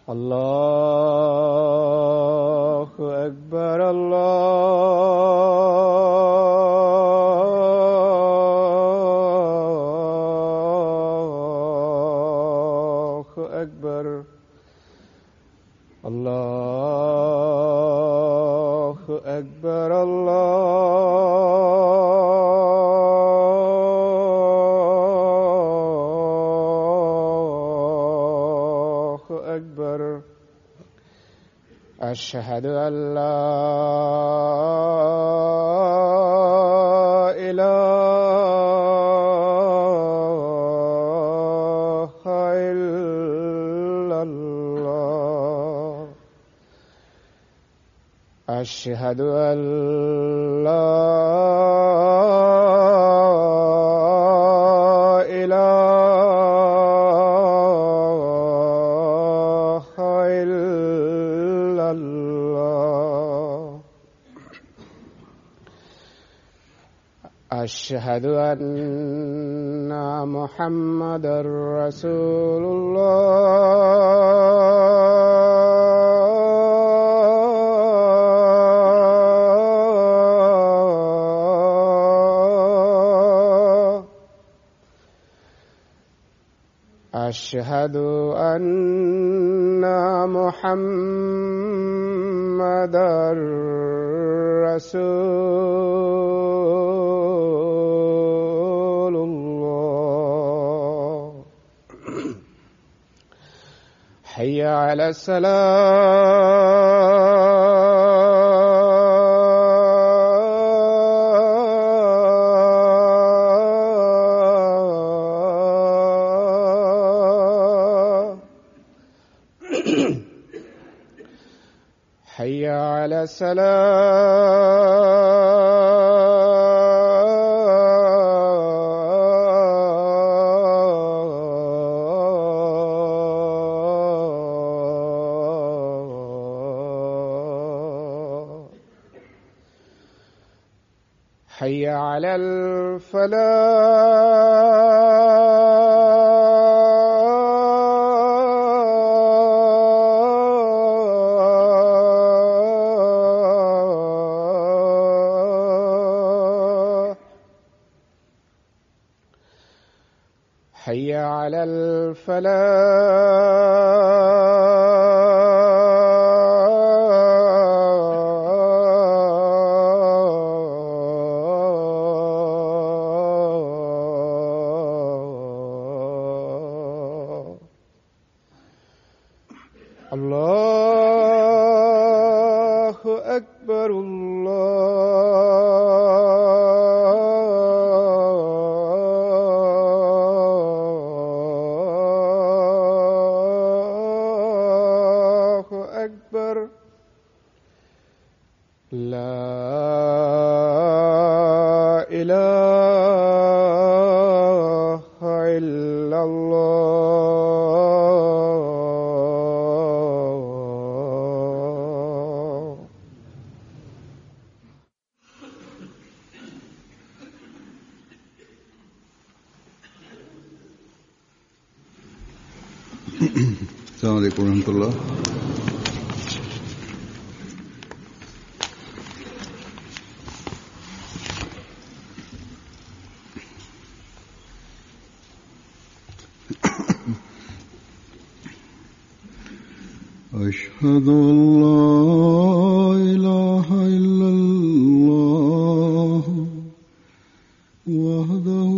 Allahu Akbar, Allahu Akbar, Allahu Akbar, Allahu Akbar. أشهد أن لا إله إلا الله. أشهد أن لا إله إلا الله. أشهد أن محمدا رسول الله. أشهد أن محمدا رسول الله. حي على السلام. حي على السلام. حي على الفلاح. حي على الفلاح. الله أكبر، الله أكبر، لا إله إلا الله. السلام عليكم ورحمة الله. أشهد أن لا إله إلا الله وحده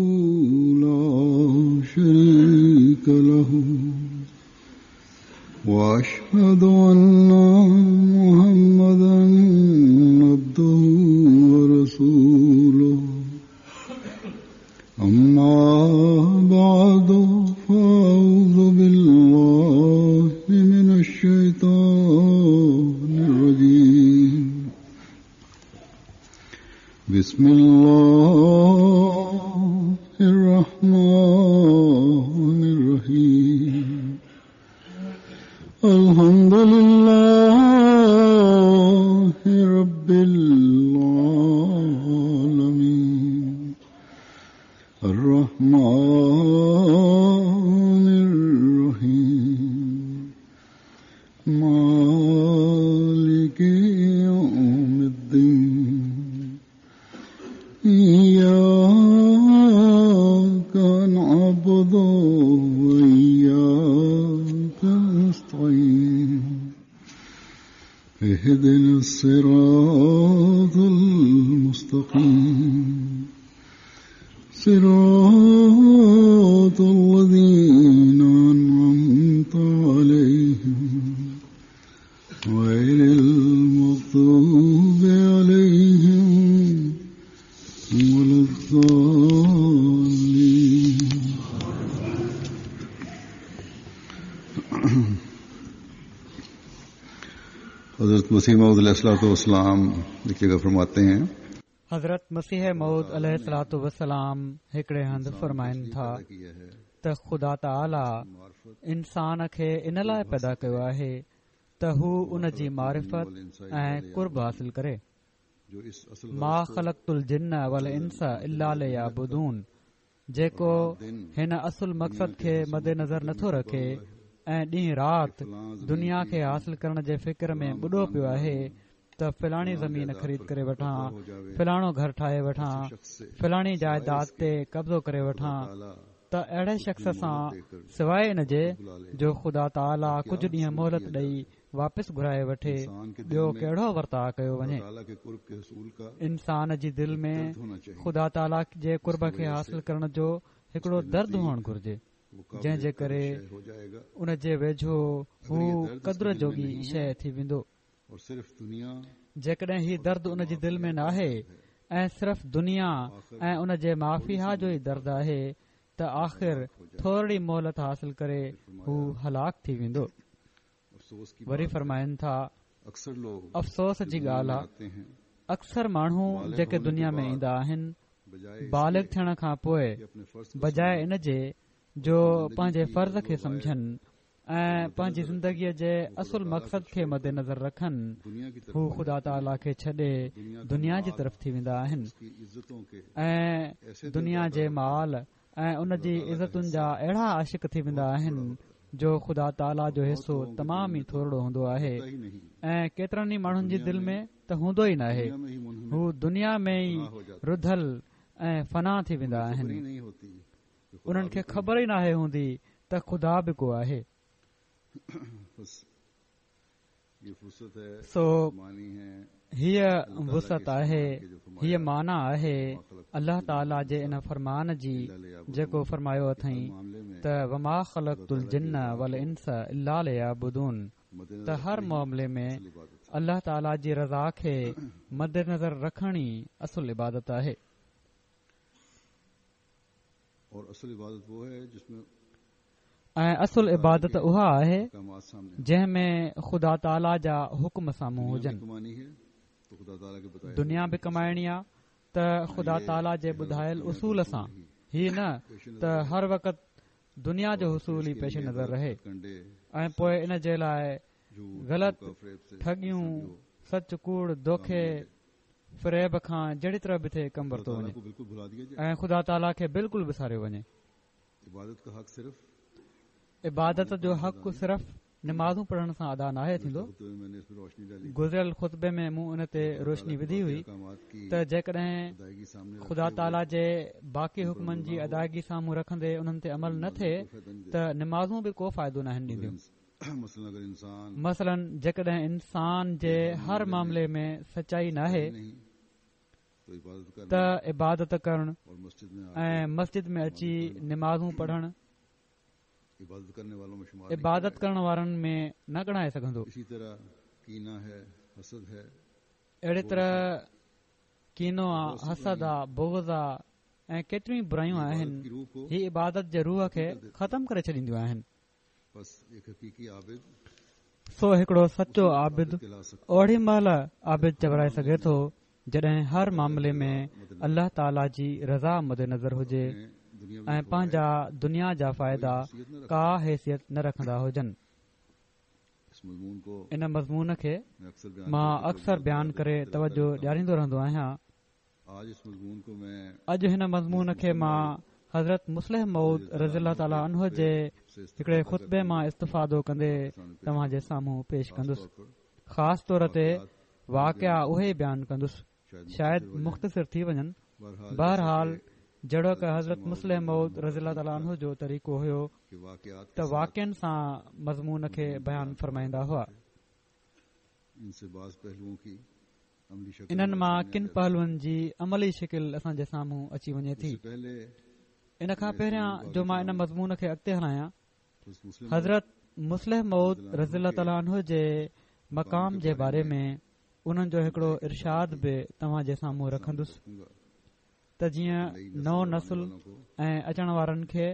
لا شريك له وأشهد أن محمدا عبده ورسوله. أما بعد فأعوذ بالله من الشيطان الرجيم. بسم الله الرحمن اهدنا الصراط المستقيم صراط الذين أنعمت عليهم غير المغضوب عليهم ولا الضالين. حضرت مسیح موعود علیہ الصلوۃ والسلام ایک جگہ فرماتے ہیں. حضرت مسيح موعود عليه الصلوة والسلام هڪڙي هنڌ فرمائن ٿا ته خدا تعاليٰ انسان کي ان لاء پيدا ڪيو آهي ته هو ان جي معرفت ۽ قرب حاصل ڪري. ما خلقت الجن والانس الا ليعبدون جيڪو هن اصل مقصد کي مدنظر نٿو رکي ۽ ڏينهن رات دنيا کي حاصل ڪرڻ جي فڪر ۾ ٻڏو پيو آهي ته فلاڻي زمين خريد ڪري وٺان، فلاڻو گهر ٺاهي وٺان، فلاڻي جائداد تي قبضو ڪري وٺان ته اهڙي شخص سان سواء ان جي جو خدا تعاليٰ ڪجهه ڏينهن مهلت ڏئي واپس گهرائي وٺي ٻيو ڪهڙو ورتاء ڪيو وڃي؟ انسان جي دل ۾ خدا تعاليٰ جي قرب کي حاصل ڪرڻ جو هڪڙو درد هئڻ گهرجي جنهن جي ڪري ان جي ويجهو هو قدر جوڳي شيء ٿي ويندو. جيڪڏهن هي درد ان جي دل ۾ ناهي ۽ صرف دنيا ۽ ان جي مافيها جو ئي درد آهي ته آخر ٿورڙي مهلت حاصل ڪري هو هلاڪ ٿي ويندو. وري فرمائن ٿا، افسوس جي ڳالهه آ، اڪثر ماڻهو جيڪي دنيا ۾ ايندا آهن، بالغ ٿيڻ کان پوء بجاء ان جي جو پنهنجي فرض کي سمجهن ۽ پنهنجي زندگيء جي اصل مقصد کي مدنظر رکن، هو خدا تعاليٰ کي ڇڏي دنيا جي طرف ٿي ويندا آهن ۽ دنيا جي مال ۽ ان جي عزتن جا اهڙا عاشق ٿي ويندا آهن جو خدا تعاليٰ جو حصو تمام ئي ٿورڙو هوندو آهي ۽ ڪيترن ئي ماڻهن جي دل ۾ ته هوندو ئي ناهي. هو دنيا ۾ ئي رڌل ۽ فنا ٿي ويندا آهن. انهن کي خبر ئي ناهي هوندي ته خدا به ڪو آهي. سو هيء وسعت آهي، هيء معنيٰ آهي الله تعاليٰ جي ان فرمان جي جيڪو فرمايو اٿائين ته وما خلقت الجن والانس الا ليعبدون ته هر معاملي ۾ الله تعاليٰ جي رضا کي مدنظر رکڻ ئي اصل عبادت آهي. ۽ اصل عبادت اها آهي جنهن ۾ خدا تعاليٰ جا حڪم سامهون هجن. دنيا به ڪمائڻي آ ته خدا تعاليٰ جي ٻڌايل اصول سان، هي نه ته هر وقت دنيا جو حصول ئي پيش نظر رهي ۽ پوء ان جي لاء غلط ٺڳيون، سچ ڪوڙ، دوکي، فريب کان جهڙي طرح به ٿئي ڪم ورتو وڃي ۽ خدا تعاليٰ کي بلڪل وساريو وڃي. عبادت جو حق صرف نمازون پڙهڻ سان ادا ناهي ٿيندو. گذريل خطبي ۾ مون ان تي روشني وڌي هئي ته جيڪڏهن خدا تعاليٰ جي باقي حڪمن جي ادائگي سامهون رکندي انهن تي عمل نه ٿئي ته نمازون به ڪو فائدو ناهن ڏينديون. مثلاً جيڪڏهن انسان جي هر معاملي ۾ سچائي ناهي ته عبادت ڪرڻ ۽ مسجد ۾ اچي نمازون پڙهڻ عبادت ڪرڻ وارن ۾ نه ڳڻائي سگهندو. اهڙي طرح ڪينو آ، حسد آ، بغض آ ۽ ڪيتريون ئي برايون آهن، هي عبادت جي روح کي ختم ڪري ڇڏينديون آهن. سو هڪڙو سچو عابد اوڏي مهل عابد چورائي سگهي ٿو جڏهن هر معاملي ۾ الله تعاليٰ جي رضا مدنظر هجي ۽ پنهنجا دنيا جا فائدا ڪا حيثيت نه رکندا هجن. ان مضمون کي مان اڪثر بيان ڪري توجه ڏياريندو رهندو آهيان. اڄ هن مضمون کي مان حضرت مصلح موعود رضي الله تعالٰي عنه جي هڪڙي خطبي مان استفادو ڪندي توهان جي سامهون پيش ڪندس. خاص طور تي واقعا اهي ئي بيان ڪندس، شايد مختصر ٿي وڃن. بهرحال جهڙوڪ حضرت مصلح موعود رضي الله تعالٰي عنه جو طريقو هيو ته واقعن سان مضمون کي بيان فرمائيندا هئا. انهن مان ڪن پهلوئن جي عملي شڪل اسان جي سامهون اچي وڃي ٿي. ان کان پهريان جو مان ان مضمون کي اڳتي هلايان، حضرت مصلح موعود رضي الله تعالٰي عنه جي مقام جي باري ۾ انهن جو هڪڙو ارشاد به توهان جي سامهون رکندس ته جيئن نئون نسل ۽ اچڻ وارن کي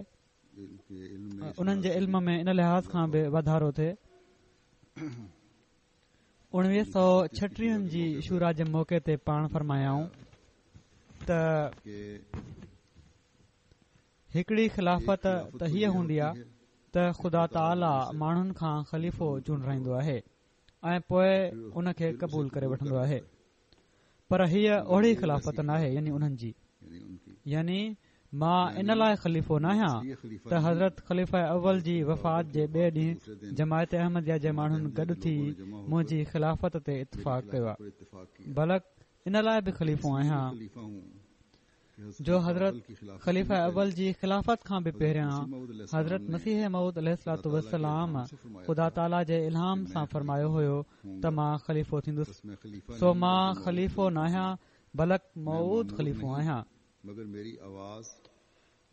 انهن جي علم ۾ ان لحاظ کان به واڌارو ٿئي. 1936 جي شوريٰ جي موقعي تي پاڻ فرمايائون ته هڪڙي خلافت ته هيء هوندي آهي ته خدا تعاليٰ ماڻهن کان خليفو چونڊرائيندو آهي ۽ پوء ان کي قبول ڪري وٺندو آهي پر هيء اهڙي خلافت ناهي يعني انهن جي يعني مان ان لاء خليفو ناهيان ته حضرت خليفه اول جي وفات جي ٻئي ڏينهن جماعت احمديه جي ماڻهن گڏ ٿي منهنجي خلافت تي اتفاق ڪيو آهي بلڪ ان لاء به خليفو آهيان جو حضرت خليفه اول جي خلافت کان به پهريان حضرت مسيح موعود عليه الصلوة والسلام خدا تعاليٰ جي الهام سان فرمايو هيو ته مان خليفو ٿيندس سو مان خليفو ناهيان بلڪ موعود خليفو آهيان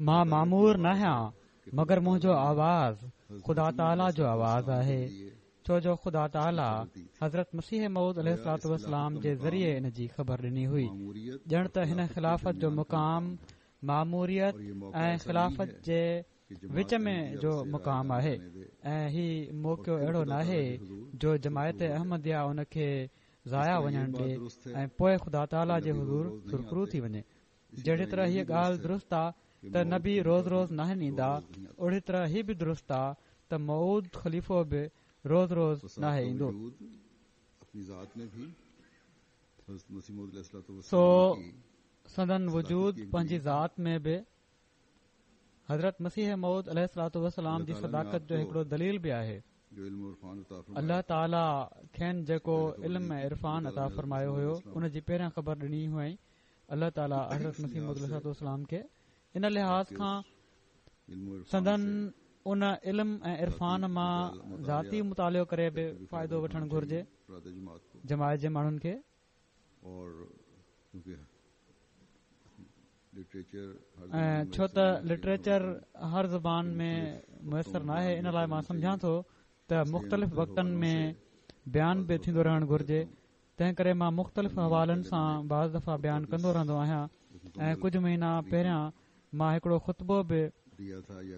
مان مامور ناهيان مگر منهنجو آواز خدا تعاليٰ جو آواز آهي ڇو جو خدا تعاليٰ حضرت مسيح موعود عليه الصلوة والسلام جي ذريعي ان جي خبر ڏني هئي ڄڻ ته هن خلافت جو مقام ماموريت ۽ خلافت جي وچ ۾ جو مقام آهي ۽ هي موقعو اهڙو ناهي جو جماعت احمديه ان کي ضايع وڃڻ ڏي ۽ پوء خدا تعاليٰ جي حضور سرخرو ٿي وڃي جهڙي طرح هيء ڳالهه درست آ ته نبي روز روز ناهن ايندا، اهڙي طرح هي به درست آ ته موعود خليفو به روز روز ناهي ايندو. سو سندن وجود پنهنجي ذات ۾ به حضرت مسيح موعود عليه الصلوة والسلام جي صداقت جو هڪڙو دليل به آهي. الله تعاليٰ کين جيڪو علم ۽ عرفان عطا فرمايو هيو ان جي پهريان خبر ڏني هئائين. الله تعاليٰ حضرت مسيح موعود عليه الصلوة والسلام کي ان لحاظ کان سندن ان علم ۽ عرفان مان ذاتي مطالعو ڪري به فائدو وٺڻ گهرجي جماعت جي ماڻهن کي. ۽ ڇو ته لٽريچر هر زبان ۾ ميسر ناهي ان لاء مان سمجهان ٿو ته مختلف وقتن ۾ بيان به ٿيندو رهڻ گهرجي تنهن ڪري مان مختلف حوالن سان بعض دفعا بيان ڪندو رهندو آهيان ۽ ڪجهه مهينا پهريان مان هڪڙو خطبو به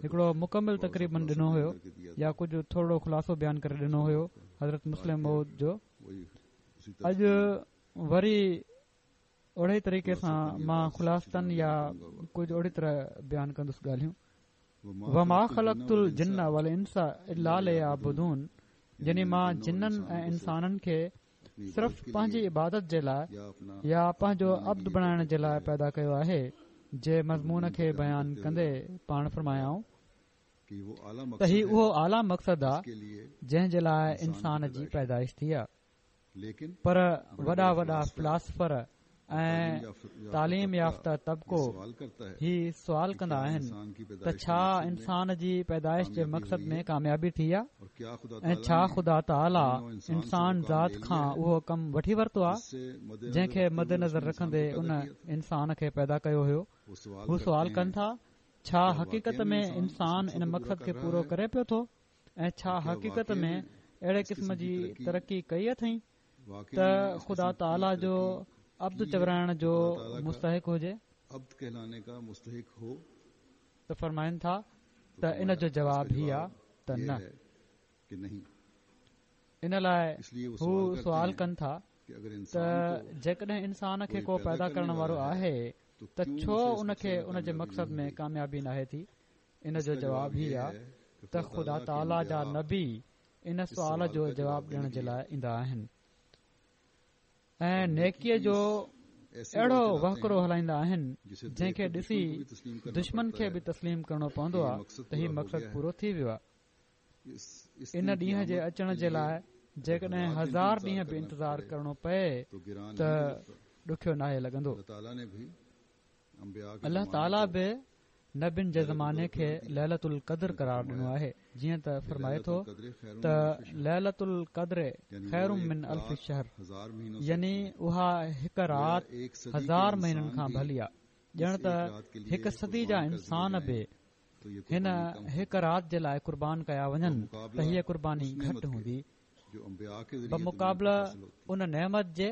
هڪڙو مڪمل تقريبن ڏنو هيو يا ڪجهه ٿورڙو خلاصو بيان ڪري ڏنو هيو حضرت مصلح موعود جو اڄ وري اهڙي طريقي سان مان خلاصتن يا ڪجهه اهڙي طرح بيان ڪندس ڳالهيون وما خلقت الجن والانس الا ليعبدون يعني مان جنن ۽ انسانن کي صرف پنهنجي عبادت جي لاء يا پنهنجو عبد بڻائڻ جي لاء پيدا ڪيو آهي جي مضمون کي بيان ڪندي پاڻ فرمايائون ته هي اهو اعليٰ مقصد آ جنهن جي لاء انسان جي پيدائش ٿي آ پر وڏا وڏا فلاسفر ۽ تعليم يافته طبقو هي سوال ڪندا آهن ته ڇا انسان جي پيدائش جي مقصد ۾ ڪاميابي ٿي آ ۽ ڇا خدا تعاليٰ انسان ذات کان اهو ڪم وٺي ورتو آ جنهن کي مد نظر رکندي ان انسان کي پيدا ڪيو هيو هو سوال ڪن ٿا ڇا حقيقت ۾ انسان ان مقصد کي پورو ڪري پيو ٿو ۽ ڇا حقيقت ۾ اهڙي قسم جي ترقي ڪئي اٿئين ته خدا تعاليٰ جو عبد چورائڻ جو مستحق هجي؟ ته فرمائن ٿا ته ان جو جواب هي آ ته نه. ان لاء هو سوال ڪن ٿا ته جيڪڏهن انسان کي ڪو پيدا ڪرڻ وارو آهي ته ڇو ان کي ان جي مقصد ۾ ڪاميابي ناهي ٿي؟ ان جو جواب هي آ ته خدا تعاليٰ جا نبي ان سوال جو جواب ڏيڻ جي لاء ايندا آهن ۽ نيڪيء جو اهڙو وهڪرو هلائيندا آهن جنهن کي ڏسي دشمن کي به تسليم ڪرڻو پوندو آ ته هي مقصد پورو ٿي ويو آ. ان ڏينهن جي اچڻ جي لاء جيڪڏهن هزار ڏينهن به انتظار ڪرڻو پئي ته ڏکيو ناهي لڳندو. الله تعاليٰ به. نبين جي زماني کي ليلة القدر قرار ڏنو آهي، جيئن ته فرمائي ٿو ته ليلة القدر خير من الف شهر يعني اها هڪ رات هزار مهينن کان ڀلي آ، ڄڻ ته هڪ صدي جا انسان به هن هڪ رات جي لاء قربان ڪيا وڃن ته هيء قرباني گهٽ هوندي بمقابله ان نعمت جي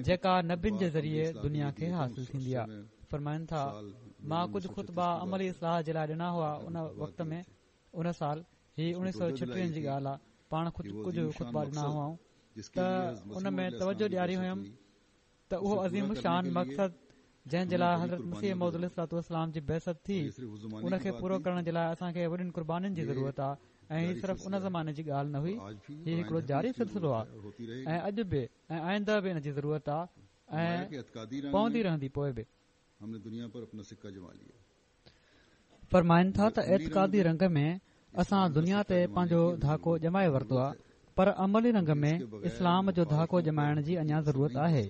جيڪا نبين جي ذريعي دنيا کي حاصل ٿيندي آهي. فرمائن ٿا، مان ڪجهه خطبا عملي اصلاح جي لاء ڏنا هئا ان وقت ۾ ان سال هي اڻويهه سؤ ڇٽيهن جي ڳالهه آهي پاڻ ڪجهه خطبا ڏنا هئائون ته ان ۾ توجه ڏياري هيم ته اهو عظيم الشان مقصد جنهن جي لاء حضرت مسيح موعود عليه الصلوة والسلام جي بعثت ٿي ان کي پورو ڪرڻ جي لاء اسان کي وڏين قربانين جي ضرورت آهي ۽ هي صرف ان زماني جي ڳالهه نه هئي هي هڪڙو جاري سلسلو آهي ۽ اڄ به ۽ آئنده به ان جي ضرورت آهي ۽ پوندي رهندي پوء به. فرمائن ٿا ته اعتقادي رنگ ۾ اسان دنيا تي پنهنجو ڌاڪو ڄمائي ورتو آهي پر عملي رنگ ۾ اسلام جو ڌاڪو ڄمائڻ جي اڃا ضرورت آهي.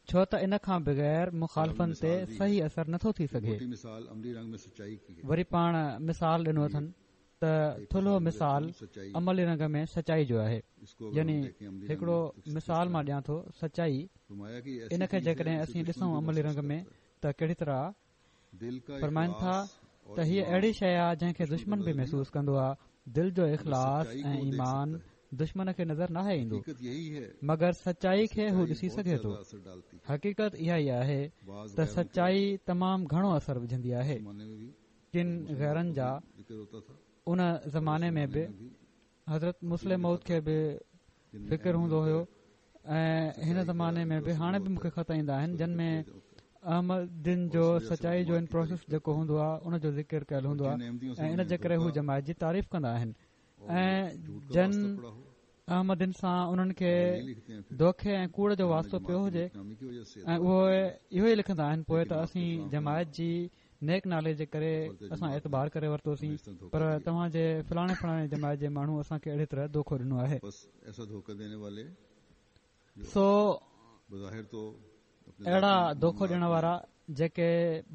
ڇو ته ان کان بغير مخالفن تي صحيح اثر نٿو ٿي سگهي. وري پاڻ مثال ڏنو اٿن ته ٿلهو مثال عملي رنگ ۾ سچائي جو آهي يعني هڪڙو مثال مان ڏيان ٿو سچائي ان کي جيڪڏهن اسين ڏسون عملي رنگ ۾ ته ڪهڙي طرح فرمائن ٿا ته هيء اهڙي شيء آهي جنهن کي دشمن به محسوس ڪندو آهي دل جو اخلاص ۽ ايمان دشمن کي نظر ناهي ايندو مگر سچائي کي هو ڏسي سگهي ٿو حقيقت اها ئي آهي ته سچائي تمام گهڻو اثر وجهندي آهي ڪن غيرن جا ان زماني ۾ به حضرت مصلح موعود کي به فڪر هوندو هيو ۽ هن زماني ۾ به هاڻي به مونکي خط ايندا آهن جن ۾ احمدين جو سچائي جو ان پروسيس جيڪو هوندو آهي ان جو ذڪر ڪيل هوندو آهي ۽ ان جي ڪري هو جماعت جي تعريف ڪندا آهن ۽ جن احمدين سان انهن کي دوکي ۽ ڪوڙ جو واسطو پيو هجي ۽ اهي اهو ئي لکندا آهن پوء ته اسين جماعت جي نيڪ نالي جي ڪري اسان اعتبار ڪري ورتوسين پر توهان جي فلاڻي فلاڻي جماعت جي ماڻهو اسان کي اهڙي طرح دوکو ڏنو آهي. سو اهڙا دوکو ڏيڻ وارا جيڪي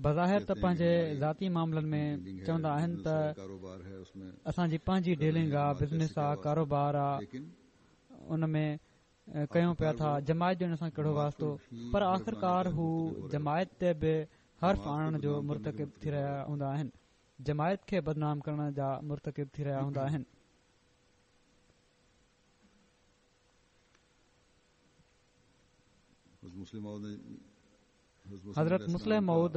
بظاهر ته پنهنجي ذاتي معاملن ۾ چوندا آهن ته اسان جي پنهنجي ڊيلنگ آ بزنس آ ڪاروبار آ ان ۾ ڪيون پيا ٿا جماعت جو ان سان ڪهڙو واسطو پر آخرڪار هو جماعت تي به حرف آڻڻ جو مرتڪب ٿي رهيا هوندا آهن جماعت کي بدنام ڪرڻ جا مرتڪب ٿي رهيا هوندا آهن. حضرت مصلح موعود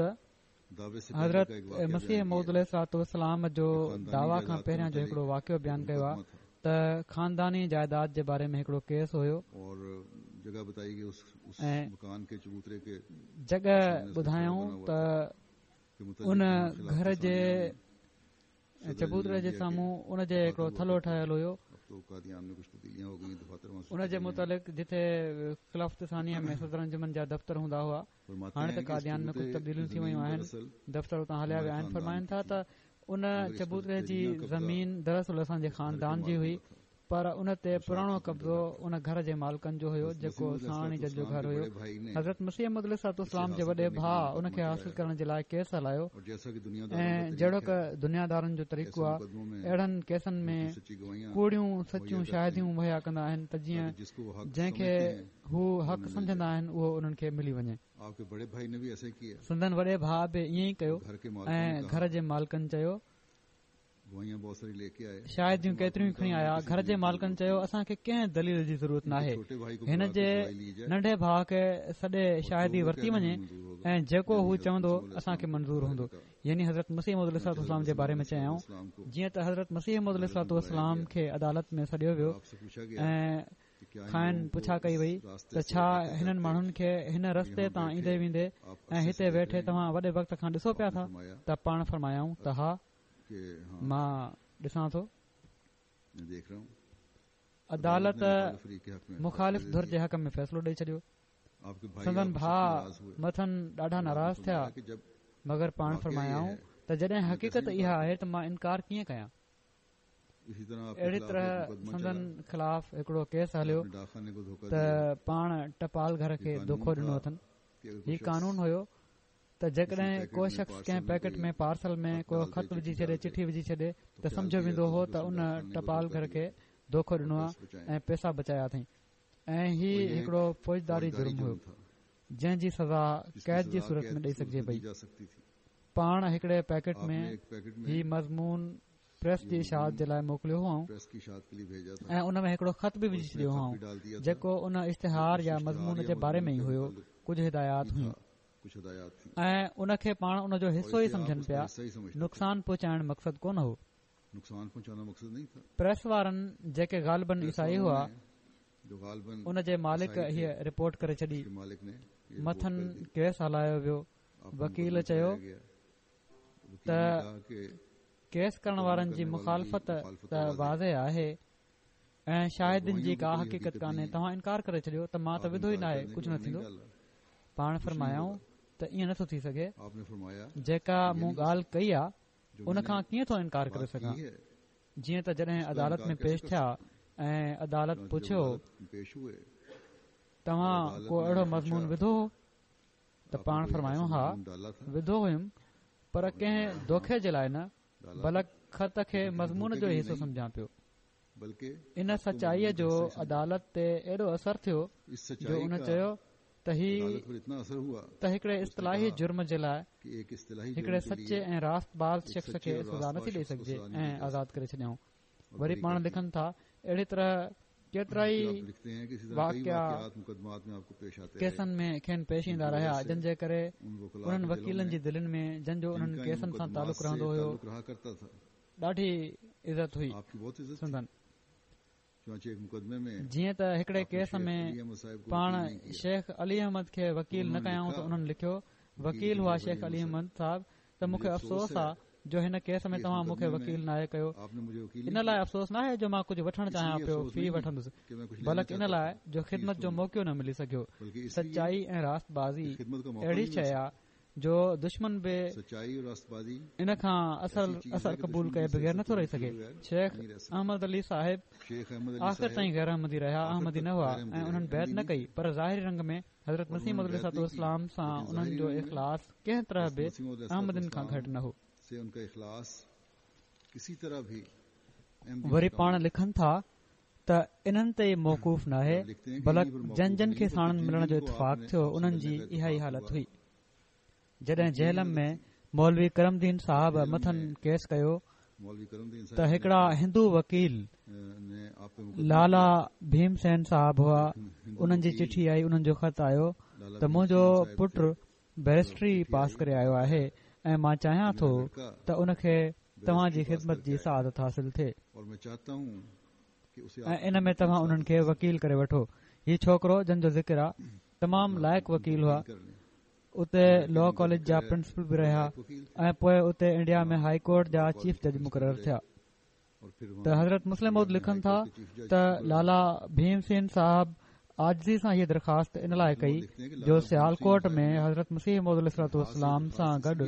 حضرت مسيح موعود عليه الصلوة والسلام جو دعويٰ کان پهريان جو هڪڙو واقعو بيان ڪيو آهي ته خانداني جائيداد جي باري ۾ هڪڙو ڪيس هيو ۽ جڳهه ٻڌايائون ته ان گهر جي چبوتري جي سامهون ان جي هڪڙو ٿلهو ٺهيل هيو ان جي متعلق جتي خلافت ثانيه ۾ صدر انجمن جا دفتر هوندا هئا هاڻي ته قاديان ۾ ڪجهه تبديليون ٿي ويون آهن دفتر اتان هليا ويا آهن فرمائن ٿا ته ان چبوتري جي زمين دراصل اسان جي خاندان جي هئي پر ان تي پراڻو قبضو ان گهر جي مالڪن جو هيو جيڪو ساڻي جن جو گهر هيو. حضرت مسيح موعود عليه الصلوة والسلام جي وڏي ڀاء ان کي حاصل ڪرڻ جي لاء ڪيس هلايو ۽ جهڙوڪ دنيادارن جو طريقو آهي اهڙن ڪيسن ۾ ڪوڙيون سچيون شاهديون مهيا ڪندا آهن ته جيئن جنهن کي هو حق سمجهندا آهن اهو انهن کي ملي وڃي. سندن وڏي ڀاء به ائين ئي ڪيو ۽ گهر جي مالڪن چيو شاهديون ڪيتريون کڻي آيا گهر جي مالڪن چيو اسان کي ڪنهن دليل جي ضرورت ناهي هن جي ننڍي ڀاء کي سڏي شاهدي ورتي وڃي ۽ جيڪو هو چوندو اسان کي منظور هوندو يعني حضرت مسيح موعود عليه الصلوة والسلام جي باري ۾ چيائون جيئن ته حضرت مسيح موعود عليه الصلوة والسلام کي عدالت ۾ سڏيو ويو ۽ کانئن پڇا ڪئي وئي ته ڇا هنن ماڻهن کي هن رستي تان ايندي ويندي ۽ هتي ويٺي توهان وڏي وقت کان ڏسو پيا ٿا ته پاڻ فرمايائون ته ها مان ڏسان ٿو. عدالت مخالف ڌر جي حق ۾ فيصلو ڏئي ڇڏيو. سندن ڀاء مٿن ڏاڍا ناراض ٿيا، مگر پاڻ فرمايائون ته جڏهن حقيقت اها آهي ته مان انڪار ڪيئن ڪيان؟ اهڙي طرح سندن خلاف هڪڙو ڪيس هليو ته پاڻ ٽپال گهر کي دوکو ڏنو اٿن. هي قانون هيو. ته جيڪڏهن ڪو شخص ڪنهن پيڪٽ ۾ پارسل ۾ ڪو خط وجهي ڇڏي چٺي وجهي ڇڏي ته سمجهيو ويندو هو ته ان ٽپال گهر کي دوکو ڏنو آهي ۽ پئسا بچايا اٿئي ۽ هي هڪڙو فوجداري جرم هيو جنهن جي سزا قيد جي صورت ۾ ڏئي سگهجي پئي. پاڻ هڪڙي پيڪٽ ۾ هي مضمون پريس جي اشاعت جي لاء موڪليو هئائون ۽ ان ۾ هڪڙو خط به وجهي ڇڏيو هئائون جيڪو ان اشتهار يا مضمون جي باري ۾ ئي هيو ڪجهه هدايات هيون ۽ ان کي پاڻ ان جو حصو ئي سمجهن پيا نقصان پهچائڻ مقصد ڪونه هو پريس وارن جيڪي غالباً عيسائي هئا ان جي مالڪ هيء رپورٽ ڪري ڇڏي مٿن ڪيس هلايو ويو وڪيل چيو ته ڪيس ڪرڻ وارن جي مخالفت ته واضح آهي ۽ شاهدين جي ڪا حقيقت ڪانهي توهان انڪار ڪري ڇڏيو ته مان ته وڌو ئي ناهي ڪجهه نه ٿيندو پاڻ فرمايائون ته ائين نٿو ٿي سگهي جيڪا مون ڳالهه ڪئي آ ان کان ڪيئن ٿو انڪار ڪري سگهان جيئن ته جڏهن عدالت ۾ پيش ٿيا ۽ عدالت پڇيو توهان ڪو اهڙو مضمون وڌو هو ته پاڻ فرمايو ها وڌو هيم پر ڪنهن دوکي جي لاء نه بلڪ خط کي مضمون جو حصو سمجهان پيو ان سچائيء جو عدالت تي ايڏو اثر ٿيو جو ان چيو ته هي ته هڪڙي اصطلاحي جرم جي لاء هڪڙي سچي ۽ راست باز شخص کي سزا نٿي ڏئي سگهجي ۽ آزاد ڪري ڇڏيائون وري پاڻ لکن ٿا اهڙي طرح ڪيترائي واقعا ڪيسن ۾ کين پيش ايندا رهيا جن جي ڪري انهن وڪيلن جي دلين ۾ جن جو انهن ڪيسن سان تعلق رهندو هيو ڏاڍي عزت هئي سندن جيئن ته هڪڙي ڪيس ۾ پاڻ شيخ علي احمد کي وڪيل نه ڪيائون ته انهن لکيو وڪيل هئا شيخ علي احمد صاحب ته مون کي افسوس آ جو هن ڪيس ۾ توهان مون کي وڪيل ناهي ڪيو ان لاء افسوس ناهي جو مان ڪجهه وٺڻ چاهيان پيو في وٺندس بلڪ ان لاء جو خدمت جو موقعو نه ملي سگهيو سچائي ۽ راست بازي اهڙي شيء آ جو دشمن به ان کان اثر قبول ڪئي بغير نٿو رهي سگهي شيخ احمد علي صاحب آخر تائين غير احمدي رهيا احمدي نه هئا ۽ انهن بيعت نه ڪئي پر ظاهري رنگ ۾ حضرت مسيح موعود عليه الصلوة والسلام سان انهن جو اخلاص ڪنهن طرح به احمدين کان گهٽ نه هو. وري پاڻ لکن ٿا ته انهن تي ئي موقوف ناهي بلڪ جن جن کي ساڻن ملڻ جو اتفاق ٿيو انهن جي اها ئي حالت هئي. جڏهن جهلم ۾ مولوي ڪرم دين صاحب مٿن ڪيس ڪيو ته هڪڙا هندو وڪيل لالا ڀيم سين صاحب هئا انهن جي چٺي آئي انهن جو خط آيو ته منهنجو پٽ بئريسٽري پاس ڪري آيو آهي ۽ مان چاهيان ٿو ته ان کي توهان جي خدمت جي سعادت حاصل ٿئي ۽ ان ۾ توهان انهن کي وڪيل ڪري وٺو هي ڇوڪرو جن جو ذڪر آ تمام لائق وڪيل هئا اتي لا ڪاليج جا پرنسپل به رهيا ۽ پوء اتي انڊيا ۾ هائي ڪورٽ جا چيف جج مقرر ٿيا ته حضرت مصلح موعود لکن ٿا ته لالا ڀيم سين صاحب عاجزي سان هيء درخواست ان لاء ڪئي جو سيالڪوٽ ۾ حضرت مسيح موعود عليه الصلوة والسلام سان گڏ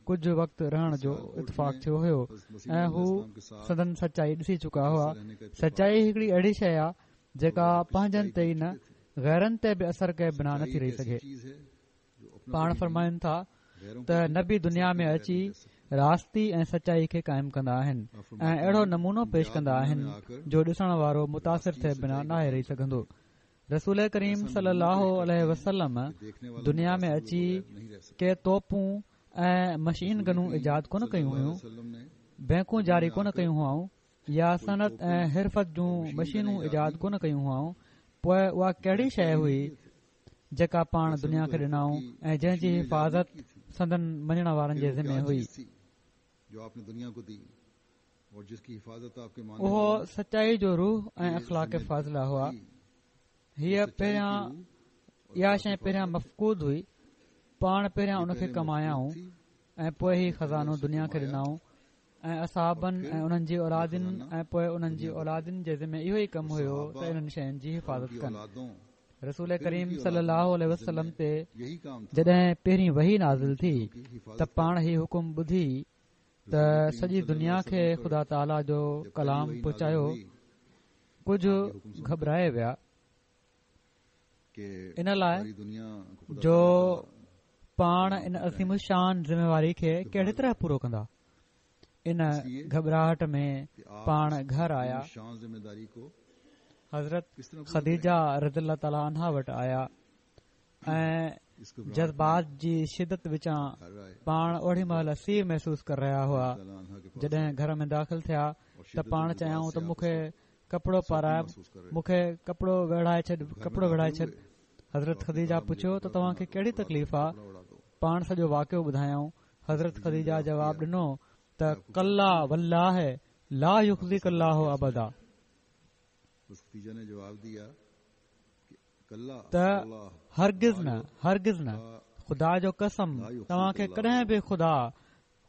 ڪجهه وقت رهڻ جو اتفاق ٿيو هيو ۽ هو سندن سچائي ڏسي چڪا هئا سچائي هڪڙي اهڙي شيء آهي جيڪا پنهنجن تي ئي نه غيرن تي به اثر ڪئي بنا نٿي رهي سگهي پاڻ فرمائن ٿا ته نبي دنيا ۾ اچي راستي ۽ سچائي کي قائم ڪندا آهن ۽ اهڙو نمونو پيش ڪندا آهن جو ڏسڻ وارو متاثر ٿئي بنا ناهي رهي سگهندو رسول ڪريم صلي الله عليه وسلم دنيا ۾ اچي ڪي توپون ۽ مشين گنون ايجاد ڪونه ڪيون هيون بئنڪون جاري ڪونه ڪيون هئائون يا صنعت ۽ حرفت جون مشينون ايجاد ڪونه ڪيون هئائون پوء اها ڪهڙي شيء هئي جيڪا پاڻ دنيا کي ڏنائون ۽ جنهن جي حفاظت سندن مڃڻ وارن جي ذمي هئي. اهو سچائي جو روح ۽ اخلاق فاضله هئا. هيء پهريان اها شيء پهريان مفقود هئي، پاڻ پهريان ان کي ڪمايائون ۽ پوء هي خزانو دنيا کي ڏنائون. ۽ اصحابن ۽ انهن جي اولادن ۽ پوء انهن جي اولادن جي ذمي اهو ئي ڪم هيو ته انهن شين جي حفاظت ڪن رسول ڪريم صلي الله عليه وسلم تي جڏهن پهرين وحي نازل ٿي ته پاڻ هي حڪم ٻڌي ته سڄي دنيا کي خدا تعاليٰ جو ڪلام پهچايو ڪجهه گهٻرائي ويا ان لاء جو پاڻ ان عظيم الشان ذميواري کي ڪهڙي طرح پورو ڪندا. ان گهٻراهٽ ۾ پاڻ گهر آيا. حضرت خديجه رضي الله تعالٰي عنها وٽ آيا ۽ جذبات جي شدت وچان پاڻ اوڏي مهل سيءُ محسوس ڪري رهيا هئا. جڏهن گهر ۾ داخل ٿيا ته پاڻ چيائون ته مون کي ڪپڙو پارائي مون کي ڪپڙو ويڙهائي ڇڏ ڪپڙو ويڙهائي ڇڏ حضرت خديجه پڇيو ته توهان کي ڪهڙي تڪليف آ پاڻ سڄو واقعو ٻڌايائون حضرت خديجه جواب ڏنو ته ڪلا والله لا يخزيڪ الله ابدا ته هرگز نه هرگز نه خدا جو قسم توهان کي ڪڏهن به خدا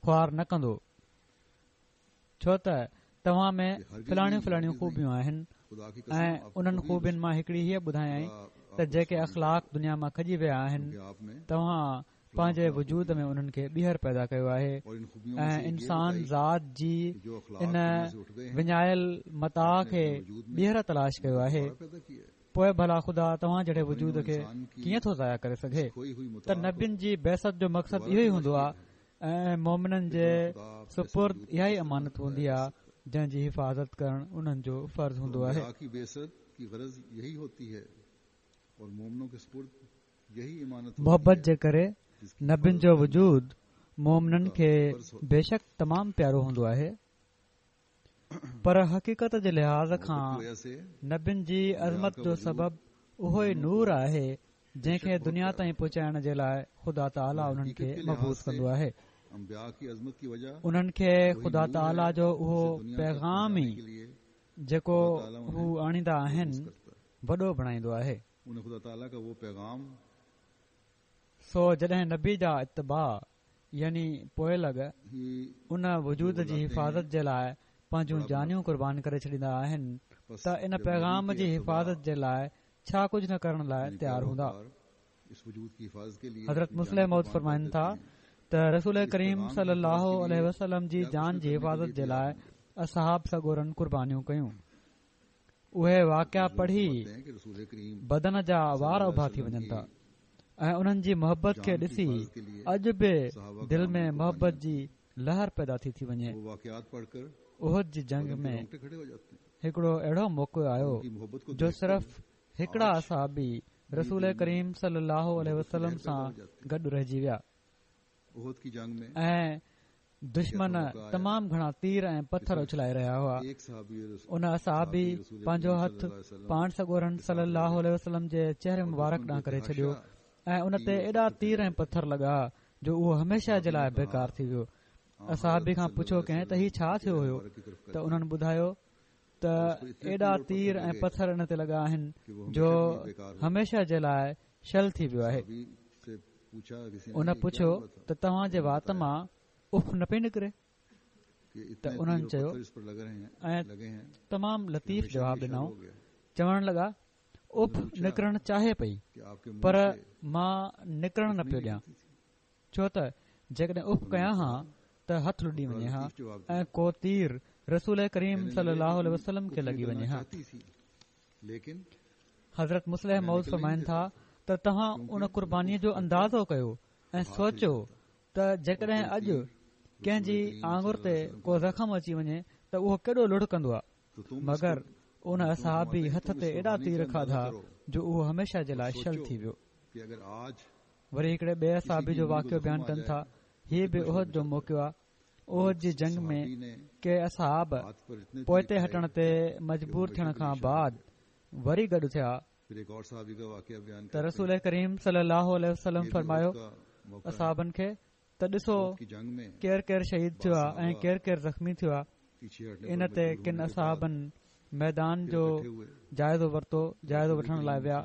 خوار نه ڪندو ڇو ته توهان ۾ فلاڻيون فلاڻيون خوبيون آهن ۽ انهن خوبين مان هڪڙي هيء ٻڌايائين ته جيڪي اخلاق دنيا مان کڄي ويا آهن توهان پنهنجي وجود ۾ انهن کي ٻيهر پيدا ڪيو آهي ۽ انسان ذات جي ان وڃايل متاع کي ٻيهر تلاش ڪيو آهي پوء ڀلا خدا توهان جهڙي وجود کي ڪيئن ٿو ضايع ڪري سگهي ته نبين جي بعثت جو مقصد اهو ئي هوندو آهي ۽ مومنن جي سپرد اها ئي امانت هوندي آهي جنهن جي حفاظت ڪرڻ انهن جو فرض هوندو آهي. محبت جي ڪري نبين جو وجود مومنن کي بيشڪ تمام پيارو هوندو آهي. پر حقيقت جي لحاظ کان نبين جي عظمت جو سبب اهو ئي نور آهي جنهن کي دنيا تائين پهچائڻ جي لاء خدا تعاليٰ انهن کي مبعوث ڪندو آهي. انهن کي خدا تعاليٰ جو اهو پيغام ئي جيڪو هو آڻيندا آهن وڏو بڻائيندو آهي. سو جڏهن نبي جا اتباع يعني پوئلڳ ان وجود جي حفاظت جي لاء پنهنجون جانيون قربان ڪري ڇڏيندا آهن ته ان پيغام جي حفاظت جي لاء ڇا ڪجهه نه ڪرڻ لاء تيار هوندا. حضرت مصلح موعود فرمائن ٿا ته رسول ڪريم صلي الله عليه وسلم جي جان جي حفاظت جي لاء اصحاب سڳورن قربانيون ڪيون. اهي واقعا پڙهي بدن جا وار اڀا ٿي وڃن ٿا ۽ انهن جي محبت کي ڏسي اڄ به دل ۾ محبت جي لهر پيدا ٿي ٿي وڃي. احد جي جنگ ۾ هڪڙو اهڙو موقعو آيو جو صرف هڪڙا اصحابي رسول ڪريم صلي الله عليه وسلم سان گڏ رهجي ويا. ۽ دشمن تمام گهڻا تير ۽ پٿر اڇلائي رهيا هئا. ان اصحابي پنهنجو هٿ پاڻ سڳورن صلي الله عليه وسلم جي چهري مبارڪ ڏانهن ڪري ڇڏيو ۽ ان تي ايڏا تير ۽ پٿر لڳا جو اهو هميشه جي لاء بيڪار ٿي ويو. اصحابي کان پڇيو ڪنهن ته هي ڇا ٿيو هيو ته انهن ٻڌايو ته ايڏا تير ۽ پٿر ان تي لڳا آهن جو هميشه جي لاء شل ٿي ويو آهي. ان پڇيو ته توهان جي وات مان اف نه پئي نڪري؟ ته انهن چيو ۽ تمام لطيف جواب ڏنائون، چوڻ لڳا اف نڪرڻ چاهي پئي پر مان نڪرڻ نه پيو ڏيان. ڇو ته جيڪڏهن اف ڪيان ها ته هٿ لڏي وڃي ها ۽ ڪو تير رسول ڪريم صلي الله عليه وسلم کي لڳي وڃي ها. حضرت مصلح موعود فرمائن ٿا ته توهان ان قربانيء جو اندازو ڪيو ۽ سوچيو ته جيڪڏهن اڄ ڪنهن جي آڱر تي ڪو زخم اچي وڃي ته اهو ڪيڏو لڙ ڪندو آهي مگر ان اصحابي هٿ تي ايڏا تير کاڌا جو اهو هميشه جي لاء شل ٿي ويو. وري هڪڙي ٻئي اصحابي جو واقعو بيان ڪن ٿا، هي به احد جو موقعو آهي، احد جي جنگ ۾ ڪي اصحاب پوئتي هٽڻ تي مجبور ٿيڻ کان بعد وري گڏ ٿيا ته رسول ڪريم صلي الله عليه وسلم فرمايو اصحابن کي ته ڏسو ڪير ڪير شهيد ٿيو آهي ۽ ڪير ڪير زخمي ٿيو آهي ان تي ڪن اصحابن ميدان جو جائزو ورتو جائزو وٺڻ لاء ويا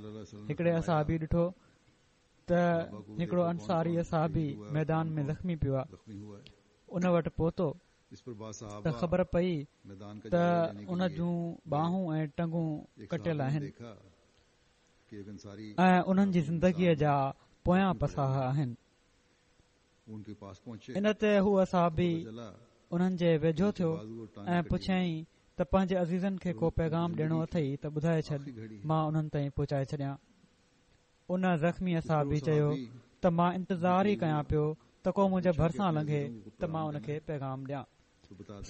هڪڙي اصحابي ڏٺو ته هڪڙو انصاري اصحابي ميدان ۾ زخمي پيو آهي ان وٽ پهتو ته خبر پئي ته ان جون ٻانهون ۽ ٽنگون ڪٽيل آهن ۽ انهن جي زندگيء جا پويان پساهه آهن ان تي هو اصحابي انهن جي ويجهو ٿيو ۽ پڇيائين ته پنهنجي عزيزن کي ڪو پيغام ڏيڻو اٿئي ته ٻڌائي ڇڏ مان انهن تائين پهچائي ڇڏيان ان زخمي اصحابي چيو ته مان انتظار ئي ڪيان پيو ته ڪو منهنجي ڀرسان لنگهي ته مان ان کي پيغام ڏيان.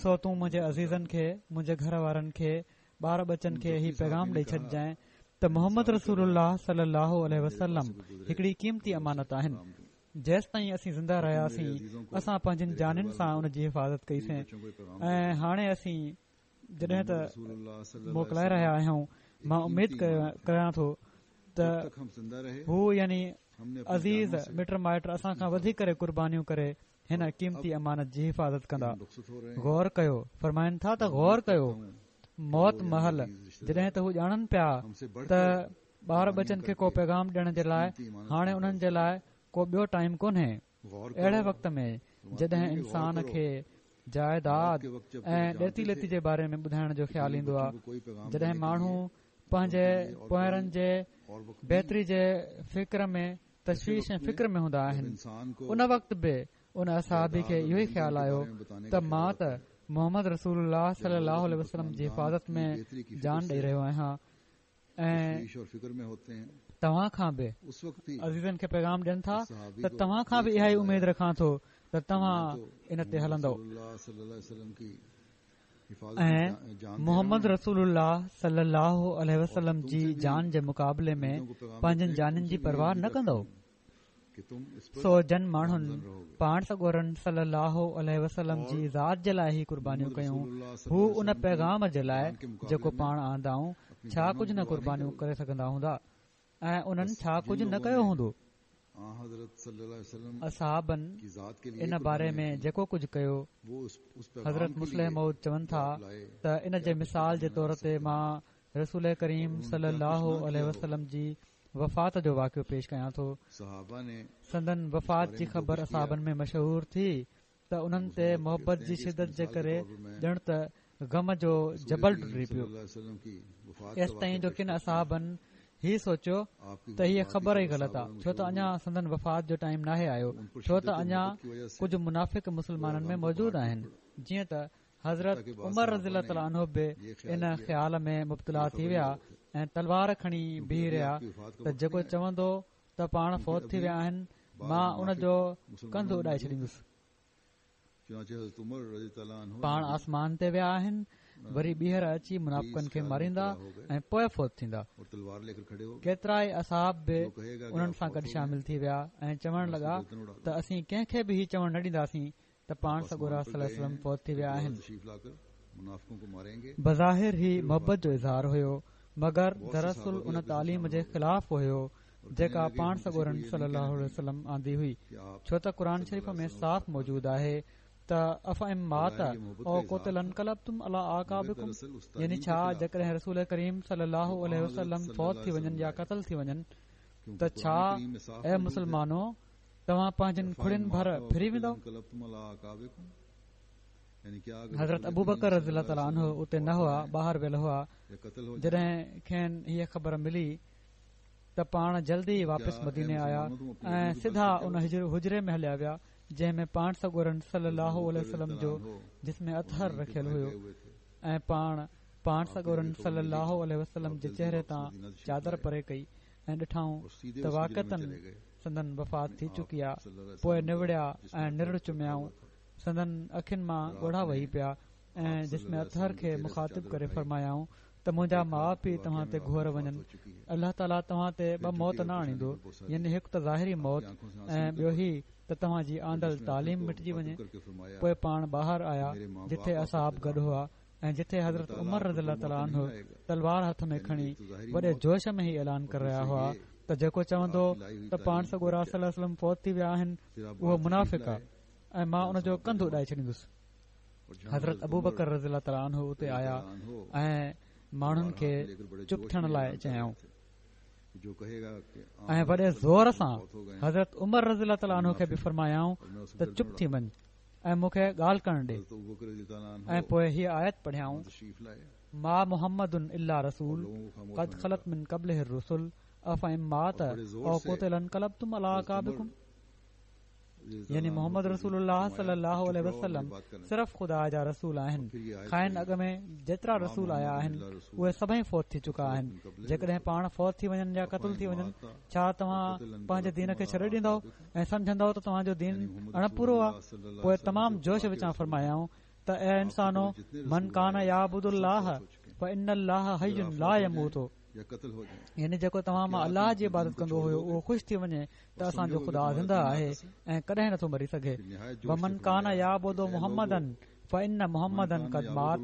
سو تون منهنجي عزيزن کي، منهنجي گهر وارن کي، ٻار ٻچن کي هي پيغام ڏئي ڇڏجانء ته محمد رسول الله صلي الله عليه وسلم هڪڙي قيمتي امانت آهن. جيستائين اسين زنده رهياسين اسان پنهنجين جانين سان ان جي حفاظت ڪئي سين ۽ هاڻي اسين جڏهن ته موڪلائي رهيا آهيون مان اميد ڪريان ٿو ته هو يعني عزيز مٽ مائٽ اسان کان وڌي ڪري قربانيون ڪري هن قيمتي امانت جي حفاظت ڪندا. غور ڪيو، فرمائن ٿا ته غور ڪيو، موت مهل جڏهن ته هو ڄاڻن پيا ته ٻار ٻچن کي ڪو پيغام ڏيڻ جي لاء هاڻي انهن جي لاء ڪو ٻيو ٽائيم ڪونهي، اهڙي وقت ۾ جڏهن انسان کي جائداد ۽ ڏيتي ليتي جي باري ۾ ٻڌائڻ جو خيال ايندو آهي، جڏهن ماڻهو پنهنجي پونئرن جي بهتري جي فڪر ۾ تشويش ۽ فڪر ۾ هوندا آهن ان وقت به ان اصحابي کي اهو ئي خيال آيو ته مان ته محمد رسول الله صلي الله عليه وسلم جي حفاظت ۾ جان ڏئي رهيو آهيان ۽ توهان کان به عزيزن کي پيغام ڏين ٿا ته توهان کان به اها ئي اميد رکان ٿو ته توهان ان تي هلندؤ ۽ محمد رسول الله صلي الله عليه وسلم جي جان جي مقابلي ۾ پنهنجن جانين جي پرواهه نه ڪندؤ. سو جن ماڻهن پاڻ سڳورن صلي الله عليه وسلم جي ذات جي لاء هي قربانيون ڪيون هو ان پيغام جي لاء جيڪو پاڻ آندائون ڇا ڪجهه نه قربانيون ڪري سگهندا هوندا ۽ انهن ڇا ڪجهه نه ڪيو هوندو. اصحابن ان باري ۾ جيڪو ڪجهه ڪيو، حضرت مصلح موعود چون ٿا ته ان جي مثال جي طور تي مان رسول ڪريم صلي الله عليه وسلم جي وفات جو واقعو پيش ڪيان ٿو. سندن وفات جي خبر اصحابن ۾ مشهور ٿي ته انهن تي محبت جي شدت جي ڪري ڄڻ ته غم جو جبل ٽٽي پيو. ايستائين جو ڪن اصحابن هي سوچيو ته هيء خبر ئي غلط آ ڇو ته اڃا سندن وفات جو ٽائيم ناهي آيو ڇو ته اڃا ڪجهه منافق مسلمانن ۾ موجود آهن جيئن ته حضرت عمر رضي الله تعالٰي عنه به ان خيال ۾ مبتلا ٿي ويا ۽ تلوار کڻي بيهي رهيا ته جيڪو چوندو ته پاڻ فوت ٿي ويا آهن مان ان جو ڪنڌ اڏائي ڇڏيندس. پاڻ آسمان تي ويا آهن وري ٻيهر اچي منافقن کي ماريندا ۽ پوء فوت ٿيندا. ڪيترائي اصحاب به انهن سان گڏ شامل ٿي ويا ۽ چوڻ لڳا ته اسين ڪنهن کي به هي چوڻ نه ڏينداسين ته پاڻ سڳورا صلي الله عليه وسلم فوت ٿي ويا آهن. بظاهر هي محبت جو اظهار هيو مگر دراصل ان تعليم جي خلاف هيو جيڪا پاڻ سڳورن صلي الله عليه وسلم آندي هئي ڇو ته قرآن شريف ۾ صاف موجود آهي ته افان مات او قتل انقلبتم علي اعقابڪم يعني ڇا جيڪڏهن رسول ڪريم صلي الله عليه وسلم فوت ٿي وڃن يا قتل ٿي وڃن ته ڇا اي مسلمانو توهان پنهنجن کڙين ڀر ڦري ويندؤ؟ حضرت ابوبڪر رضي الله تعالٰي عنه اتي نه هئا، ٻاهر ويل هئا، جڏهن کين هيء خبر ملي ته پاڻ جلدي واپس مديني آيا ۽ سڌا ان حجري ۾ هليا ويا جنهن ۾ پاڻ سڳورن صلي الله عليه وسلم جو جسم اطهر رکيل هيو ۽ پاڻ پاڻ سڳورن صلي الله عليه وسلم جي چهري تان چادر پري ڪئي ۽ ڏٺائون ته واقعتاً سندن وفات ٿي چڪي آ، پوء نوڙيا ۽ نرڙ چميائون، سندن اکين مان ڳوڙها وهي پيا ۽ جسم اطهر کي مخاطب ڪري فرمايائون ته منهنجا ماء پيء توهان تي گهور وڃن، الله تعاليٰ توهان تي ٻه موت نه آڻيندو، يعني هڪ ته ظاهري موت ۽ ٻيو هي ته توهان جي آندل تعليم مٽجي وڃي. پوء پاڻ ٻاهر آيا جتي اصحاب گڏ هئا. ۽ جتي حضرت عمر رضي الله تعالٰي عنه تلوار هٿ ۾ کڻي وڏي جوش ۾ هي اعلان ڪري رهيا هئا ته جيڪو چوندو ته پاڻ سڳورا صلي الله عليه وسلم فوت ٿي ويا آهن اهو منافق آهي ۽ مان ان جو ڪنڌ اڏائي ڇڏيندس. حضرت ابوبڪر رضي الله تعالٰي عنه اتي آيا ۽ ماڻهن کي چپ ٿيڻ لاء چيائون ۽ وڏي زور سان حضرت عمر رضي الله تعالٰي عنه کي به فرمايائون ته چپ ٿي وڃ ۽ مون کي ڳالهه ڪرڻ ڏي ۽ پوء هيء آيت پڙهيائون ما محمد الا رسول قد خلت من قبله الرسل افان مات او قتل انقلبتم علي اعقابڪم. يعني محمد رسول الله صلي الله عليه وسلم صرف خدا جا رسول آهن. کانئن اڳ ۾ جيترا رسول آيا آهن اهي سڀئي فوت ٿي چڪا آهن. جيڪڏهن پاڻ فوت ٿي وڃن يا قتل ٿي وڃن ڇا توهان پنهنجي دين کي ڇڏي ڏيندؤ ۽ سمجهندؤ ته توهان جو دين اڻپورو آهي؟ پوء تمام جوش وچان فرمايائون ته اي انسانو! من ڪان يعبد الله فان الله حي لا يموت. يعني جيڪو توهان مان الله جي عبادت ڪندو هيو اهو خوش ٿي وڃي ته اسان جو خدا زنده آهي ۽ ڪڏهن نٿو مري سگهي ومن ڪان يعبد محمدا فان محمدا قد مات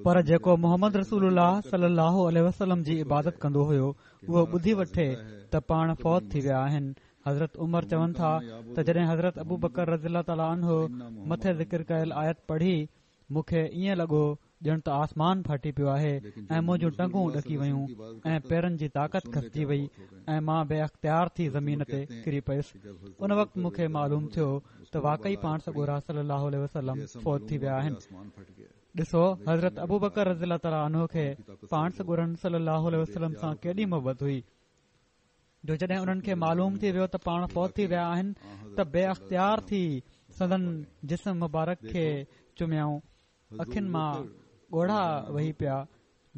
پر جيڪو محمد رسول الله صلي الله عليه وسلم جي عبادت ڪندو هيو اهو ٻڌي وٺي ته پاڻ فوت ٿي ويا آهن حضرت عمر چون ٿا ته جڏهن حضرت ابو بڪر رضي الله تعاليٰ عنه مٿي ذڪر ڪيل آيت پڙهي مون کي ائين لڳو ڄڻ ته آسمان ڦاٽي پيو آهي ۽ منهنجون ٽنگون ڏڪي ويون ۽ پيرن جي طاقت کسجي وئي ۽ مان بي اختيار ٿي زمين تي ڪري پيس. ان وقت مون کي معلوم ٿيو ته واقعي پاڻ سڳورا صلي الله عليه وسلم فوت ٿي ويا آهن. ڏسو حضرت ابوبڪر رضي الله تعالٰي عنه کي پاڻ سڳورن صلي الله عليه وسلم سان ڪيڏي محبت هئي. جو جڏهن انهن کي معلوم ٿي ويو ته پاڻ فوت ٿي ويا آهن ته بي اختيار ٿي سندن جسم مبارڪ کي چميائون اکين مان ڳوڙها وهي پيا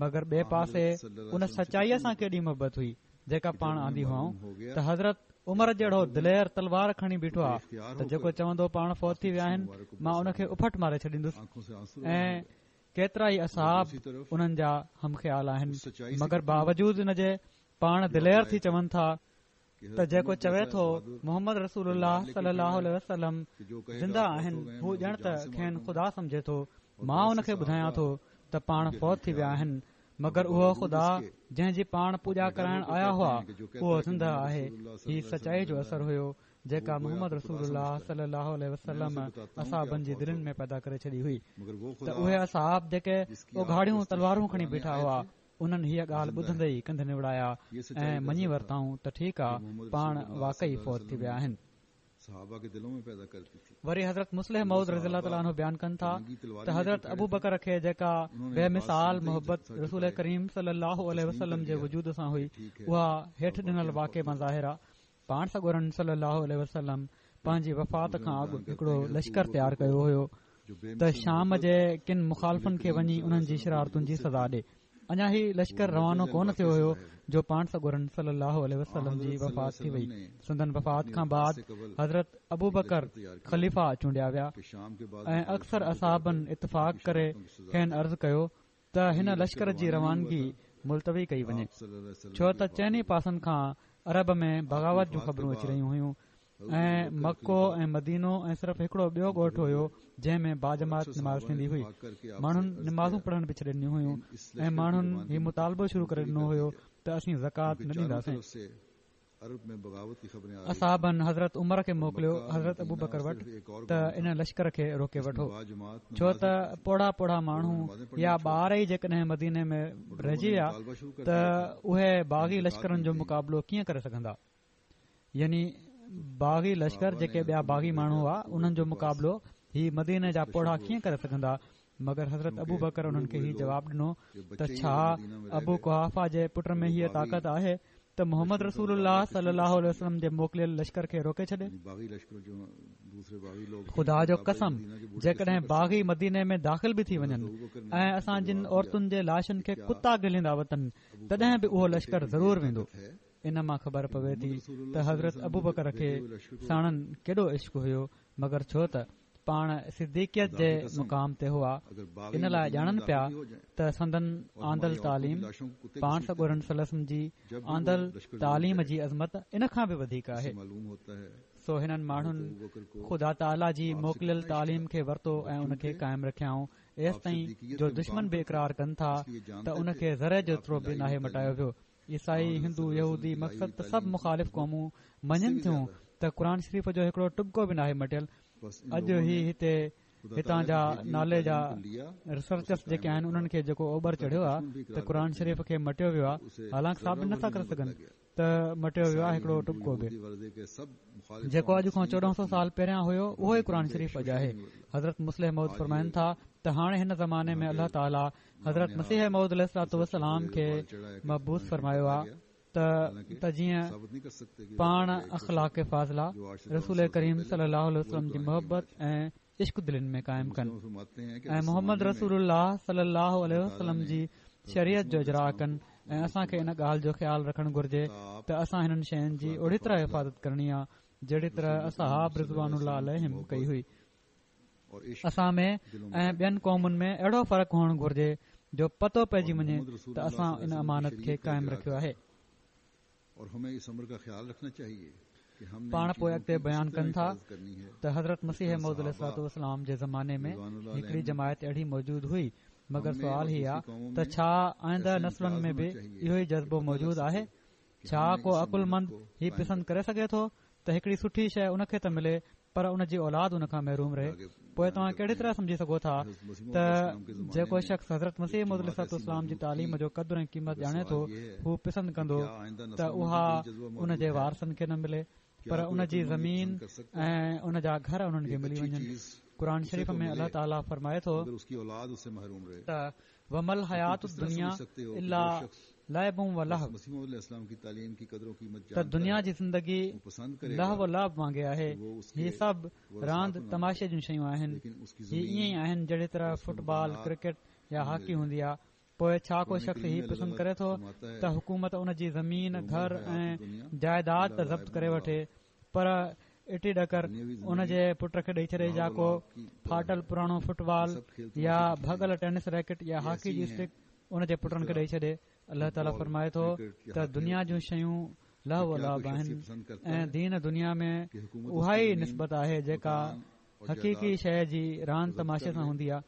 مگر ٻئي پاسي ان سچائيء سان ڪيڏي محبت هئي جيڪا پاڻ آندي هئائون ته حضرت عمر جهڙو دلير تلوار کڻي بيٺو آ ته جيڪو چوندو پاڻ فوت ٿي ويا آهن مان ان کي اڦٽ ماري ڇڏيندس ۽ ڪيترا ئي اصحاب انهن جا هم خيال آهن مگر باوجود ان جي پاڻ دلير ٿي چون ٿا ته جيڪو چوي ٿو محمد رسول الله صلي الله عليه وسلم زنده آهن هو ڄڻ ته کين خدا سمجهي ٿو مان ان کي ٻڌايان ٿو ته پاڻ فوت ٿي ويا آهن مگر اهو خدا جنهن جي پاڻ پوڄا ڪرائڻ آيا هئا اهو زنده آهي هي سچائي جو اثر هيو جيڪا محمد رسول الله صلي الله عليه وسلم اصحابن جي دلين ۾ پيدا ڪري ڇڏي هئي ته اهي اصحاب جيڪي اگهاڙيون تلوارون کڻي بيٺا هئا انهن هيء ڳالهه ٻڌندي ئي ڪنڌ نوڙايا ۽ مڃي ورتائون ته ٺيڪ آ پاڻ واقعي فوت ٿي ويا آهن. وري حضرت مصلح موعود رضي الله تعالٰي عنه بيان ڪن ٿا ته حضرت ابوبڪر کي جيڪا بي مثال محبت رسول ڪريم صلي الله عليه وسلم جي وجود سان هئي اها هيٺ ڏنل واقعي مان ظاهر آ. پاڻ سڳورن صلي الله عليه وسلم پنهنجي وفات کان اڳ هڪڙو لشڪر تيار ڪيو هيو ته شام جي ڪن مخالفن کي وڃي انهن جي شرارتن جي سزا ڏي. اڃا هي لشڪر روانو ڪونه ٿيو هيو جو پاڻ سڳورن صلي الله عليه وسلم جي وفات ٿي وئي. سندن وفات کان بعد حضرت ابوبڪر خليفا چونڊيا ويا ۽ اڪثر اصحابن اتفاق ڪري کين عرض ڪيو ته هن لشڪر جي روانگي ملتوي ڪئي وڃي ڇو ته چئني پاسن کان عرب ۾ بغاوت جون خبرون اچي رهيون هيون ۽ مڪو ۽ مدينو ۽ صرف هڪڙو ٻيو ڳوٺ هيو جنهن ۾ باجماعت نماز ٿيندي هئي ماڻهن نمازون پڙهڻ به ڇڏي ڏنيون هيون ۽ ماڻهن هي مطالبو شروع ڪري ڏنو هيو ته اسين زڪوات نه ڏينداسين اصحابن حضرت عمر کي موڪليو حضرت ابوبڪر وٽ ته ان لشڪر کي روڪي وٺو ڇو ته پوڙها پوڙها ماڻهو يا ٻار ئي جيڪڏهن مديني ۾ رهجي ويا ته اهي باغي لشڪرن جو مقابلو ڪيئن ڪري سگهندا يعني باغي لشڪر جيڪي ٻيا باغي ماڻهو هئا انهن جو مقابلو هي مديني جا پوڙها ڪيئن ڪري سگهندا مگر حضرت ابوبڪر انهن کي هي جواب ڏنو ته ڇا ابو قحافه جي پٽ ۾ هيء طاقت آهي ته محمد رسول الله صلي الله عليه وسلم جي موڪليل لشڪر کي روڪي ڇڏي؟ خدا جو قسم جيڪڏهن باغي مديني ۾ داخل به ٿي وڃن ۽ اسان جن عورتن جي لاشن کي ڪتا گهليندا وتن تڏهن به اهو لشڪر ضرور ويندو. ان مان خبر پوي ٿي ته حضرت ابوبڪر کي ساڻن ڪيڏو عشق هيو مگر ڇو ته پاڻ صديقيت جي مقام تي هئا ان لاء ڄاڻن پيا ته سندن آندل تعليم پاڻ سڳورن صلي الله عليه وسلم جي آندل تعليم جي عظمت ان کان به وڌيڪ آهي سو هنن ماڻهن خدا تعاليٰ جي موڪليل تعليم کي ورتو ۽ ان کي قائم رکيائون ايستائين جو دشمن به اقرار ڪن ٿا ته ان کي ذري جيترو به ناهي مٽايو ويو عيسائي، هندو، يهودي مقصد ته سڀ مخالف قومون مڃين ٿيون ته قرآن شريف جو هڪڙو ٽٻڪو به ناهي مٽيل. اڄ هي هتي هتان جا نالي جا ريسرچرس جيڪي آهن انهن کي جيڪو اوٻر چڙهيو آهي ته قرآن شريف کي مٽيو ويو آهي حالانڪ ثابت نٿا ڪري سگهن ته مٽيو ويو آهي هڪڙو ٽٻڪو به. جيڪو اڄ کان 14 سو سال پهريان هيو اهو ئي قرآن شريف اڄ آهي. حضرت مصلح موعود فرمائن ٿا ته هاڻي هن زماني ۾ الله تعاليٰ حضرت مسيح موعود عليه الصلوة والسلام کي مبعوث فرمايو آ. ته ته جيئن پاڻ اخلاق فاضله رسول ڪريم صلي الله عليه وسلم جي محبت ۽ عشق دلين ۾ قائم ڪن ۽ محمد رسول الله صلي الله عليه وسلم جي شريعت جو اجراء ڪن ۽ اسان کي ان ڳالهه جو خيال رکڻ گهرجي ته اسان هنن شين جي اهڙي طرح حفاظت ڪرڻي آ جهڙي طرح اصحاب رضوان الله عليهم ڪئي هئي. اسان ۾ ۽ ٻين قومن ۾ اهڙو فرق هئڻ گهرجي جو پتو پئجي وڃي ته اسان ان امانت کي قائم رکيو آهي. پاڻ پوء اڳتي بيان ڪن ٿا ته حضرت مسيح موعود عليه الصلوة والسلام جي زماني ۾ هڪڙي جماعت اهڙي موجود هئي مگر سوال هي آ ته ڇا آئنده نسلن ۾ به اهو ئي جذبو موجود آهي؟ ڇا ڪو عقلمند هي پسند ڪري سگهي ٿو ته هڪڙي سٺي شيء ان کي ته ملي پر ان جي اولاد ان کان محروم رهي پوء توهان ڪهڙي طرح سمجهي سگهو ٿا ته جيڪو شخص حضرت مسيح موعود عليه الصلوة والسلام جي تعليم جو قدر ۽ قيمت ڄاڻي ٿو هو پسند ڪندو ته اها ان جي وارثن کي نه ملي پر ان جي زمين ۽ ان جا گهر انهن کي ملي وڃن قرآن شريف ۾ الله تعاليٰ فرمائي ٿو ته وما الحياة الدنيا الا لعب و لهو ته دنيا جي زندگي لهو و لعب وانگي آهي هي سڀ راند تماشي جون شيون آهن هي ائين ئي آهن جهڙي طرح فٽبال ڪرڪيٽ يا هاڪي هوندي آهي پوء ڇا ڪو شخص هي پسند ڪري ٿو ته حڪومت ان جي زمين گهر ۽ جائيداد ته ضبط ڪري وٺي پر اٽي ڏڪر ان جي پٽ کي ڏئي ڇڏي يا ڪو ڦاٽل پراڻو فٽبال يا ڀڳل ٽينس ريڪٽ يا هاڪي جي اسٽڪ ان جي پٽن کي ڏئي ڇڏي. الله تعاليٰ فرمائي ٿو ته دنيا جون شيون لهو و لعب آهن ۽ دين دنيا ۾ اها ئي نسبت آهي جيڪا حقيقي شيء جي راند تماشي سان هوندي آهي.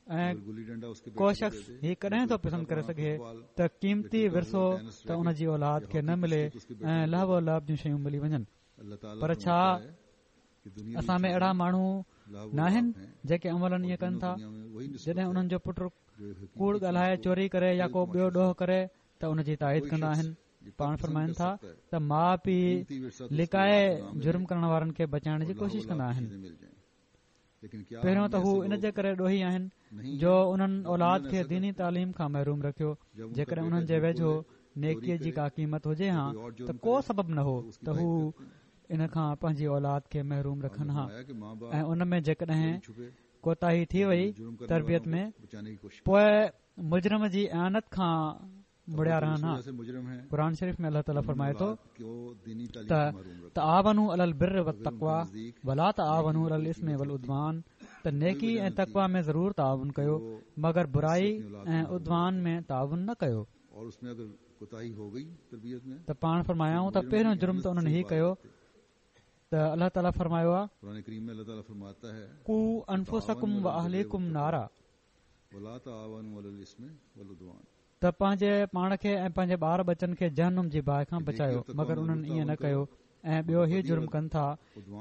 ۽ ڪو شخص هي ڪڏهن ٿو پسند ڪري سگهي ته قيمتي ورثو ته ان جي اولاد کي نه ملي ۽ لهو و لعب جون شيون ملي وڃن پر ڇا اسان ۾ اهڙا ماڻهو ناهن جيڪي عملاً ائين ڪن ٿا جڏهن انهن جو پٽ ڪوڙ ڳالهائي چوري ڪري يا ڪو ٻيو ڏوهه ڪري ته ان جي تائيد ڪندا آهن پاڻ فرمائن ٿا ته ماء پيء لڪائي جرم ڪرڻ وارن کي بچائڻ جي ڪوشش ڪندا آهن پهريون ته هو ان جي ڪري ڏوهي آهن جو انهن اولاد کي ديني تعليم کان محروم رکيو جيڪڏهن انهن جي ويجهو نيڪي جي ڪا قيمت هجي ها ته ڪو سبب نه هو ته هو ان کان پنهنجي اولاد کي محروم رکن ها ۽ ان ۾ جيڪڏهن ڪوتاهي ٿي وئي تربيت ۾ پوء مجرم جي اعانت کان مڙيا رهن ها قرآن شريف ۾ الله تعاليٰ فرمائي ٿو ته تعاونوا علي البر والتقويٰ ولا تعاونوا علي الاثم والعدوان ته نيڪي ۽ تقويٰ ۾ ضرور تعاون ڪيو مگر برائي ۽ عدوان ۾ تعاون نه ڪيو ته پاڻ فرمايائون ته پهريون جرم ته انهن هي ڪيو ته الله تعاليٰ فرمايو آهي قوا انفسڪم واهليڪم نارا ته پنهنجي پاڻ کي ۽ پنهنجي ٻار ٻچن کي جهنم جي باهه کان بچايو مگر انهن ائين نه ڪيو ۽ ٻيو هي جرم ڪن ٿا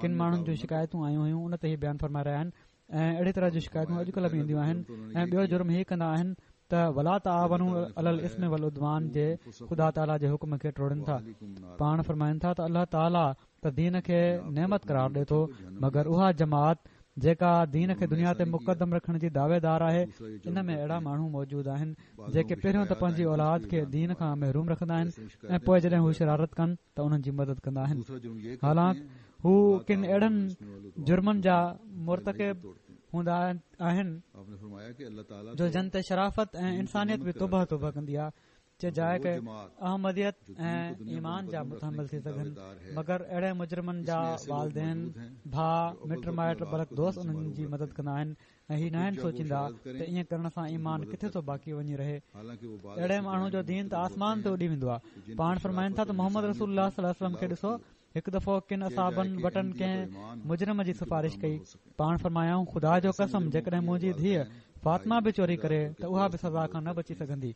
ڪن ماڻهن جون شڪايتون آيون هيون ان تي هي بيان فرمائي رهيا آهن ۽ اهڙي طرح جون شڪايتون اڄڪلهه به اينديون آهن ۽ ٻيو جرم هي ڪندا آهن ته ولا تعاونوا علي الاثم والعدوان جي خدا تعاليٰ جي حڪم کي ٽوڙين ٿا پاڻ فرمائن ٿا ته الله تعاليٰ ته دين کي نعمت قرار ڏي ٿو مگر اها جماعت جيڪا دين کي دنيا تي مقدم رکڻ جي دعويدار آهي ان ۾ اهڙا ماڻهو موجود آهن جيڪي پهريون ته پنهنجي اولاد کي دين کان محروم رکندا آهن ۽ پوء جڏهن هو شرارت ڪن ته انهن جي مدد ڪندا آهن حالانڪ هو ڪن اهڙن جرمن جا مرتڪب هوندا آهن جو جن تي شرافت ۽ انسانيت به توبه توبه ڪندي آهي چه جاء ڪه احمديت ۽ ايمان جا متحمل ٿي سگهن مگر اهڙي مجرمن جا والدين، ڀاء، مٽ مائٽ بلڪ دوست انهن جي مدد ڪندا آهن ۽ هي ناهن سوچيندا ته ائين ڪرڻ سان ايمان ڪٿي ٿو باقي وڃي رهي اهڙي ماڻهو جو دين ته آسمان تي اڏي ويندو آهي پاڻ فرمائن ٿا ته محمد رسول الله صلي الله عليه وسلم کي ڏسو هڪ دفعو ڪن اصحابن وٽن ڪنهن مجرم جي سفارش ڪئي پاڻ فرمايائون خدا جو قسم جيڪڏهن منهنجي ڌيء فاطمه به چوري ڪري ته اها به سزا کان نه بچي سگهندي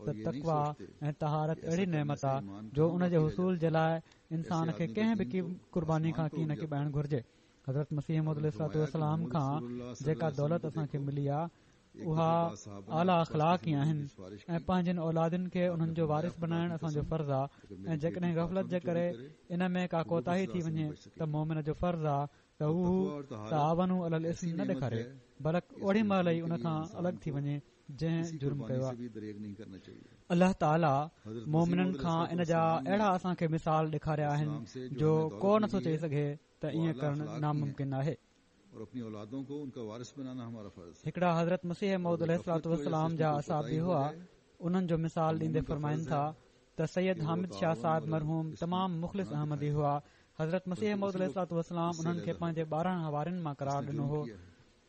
ته تقويٰ ۽ طهارت اهڙي نعمت آ جو ان جي حصول جي لاء انسان کي ڪنهن به قرباني کان ڪين ڪيٻائڻ گهرجي. حضرت مسيح موعود عليه الصلوة والسلام کان جيڪا دولت اسان کي ملي آ اها اعليٰ اخلاق ئي آهن ۽ پنهنجين اولادن کي انهن جو وارث بنائڻ اسان جو فرض آ ۽ جيڪڏهن غفلت جي ڪري ان ۾ ڪا ڪوتاهي ٿي وڃي ته مومن جو فرض آ ته هو تعاونوا علي الاثم نه ڏيکاري بلڪ اوڏي مهل ئي ان کان الڳ ٿي وڃي. جنهن جرم ڪيو آهي. الله تعاليٰ مومنن کان ان جا اهڙا اسان کي مثال ڏيکاريا آهن جو ڪو نٿو چئي سگهي ته ائين ڪرڻ ناممڪن آهي. هڪڙا حضرت مسيح موعود عليه الصلوة والسلام جا اصحابي هئا، انهن جو مثال ڏيندي فرمائن ٿا ته سيد حامد شاهه صاحب مرحوم تمام مخلص احمدي هئا. حضرت مسيح موعود عليه الصلوة والسلام انهن کي پنهنجي 12 حوارين مان قرار ڏنو هو.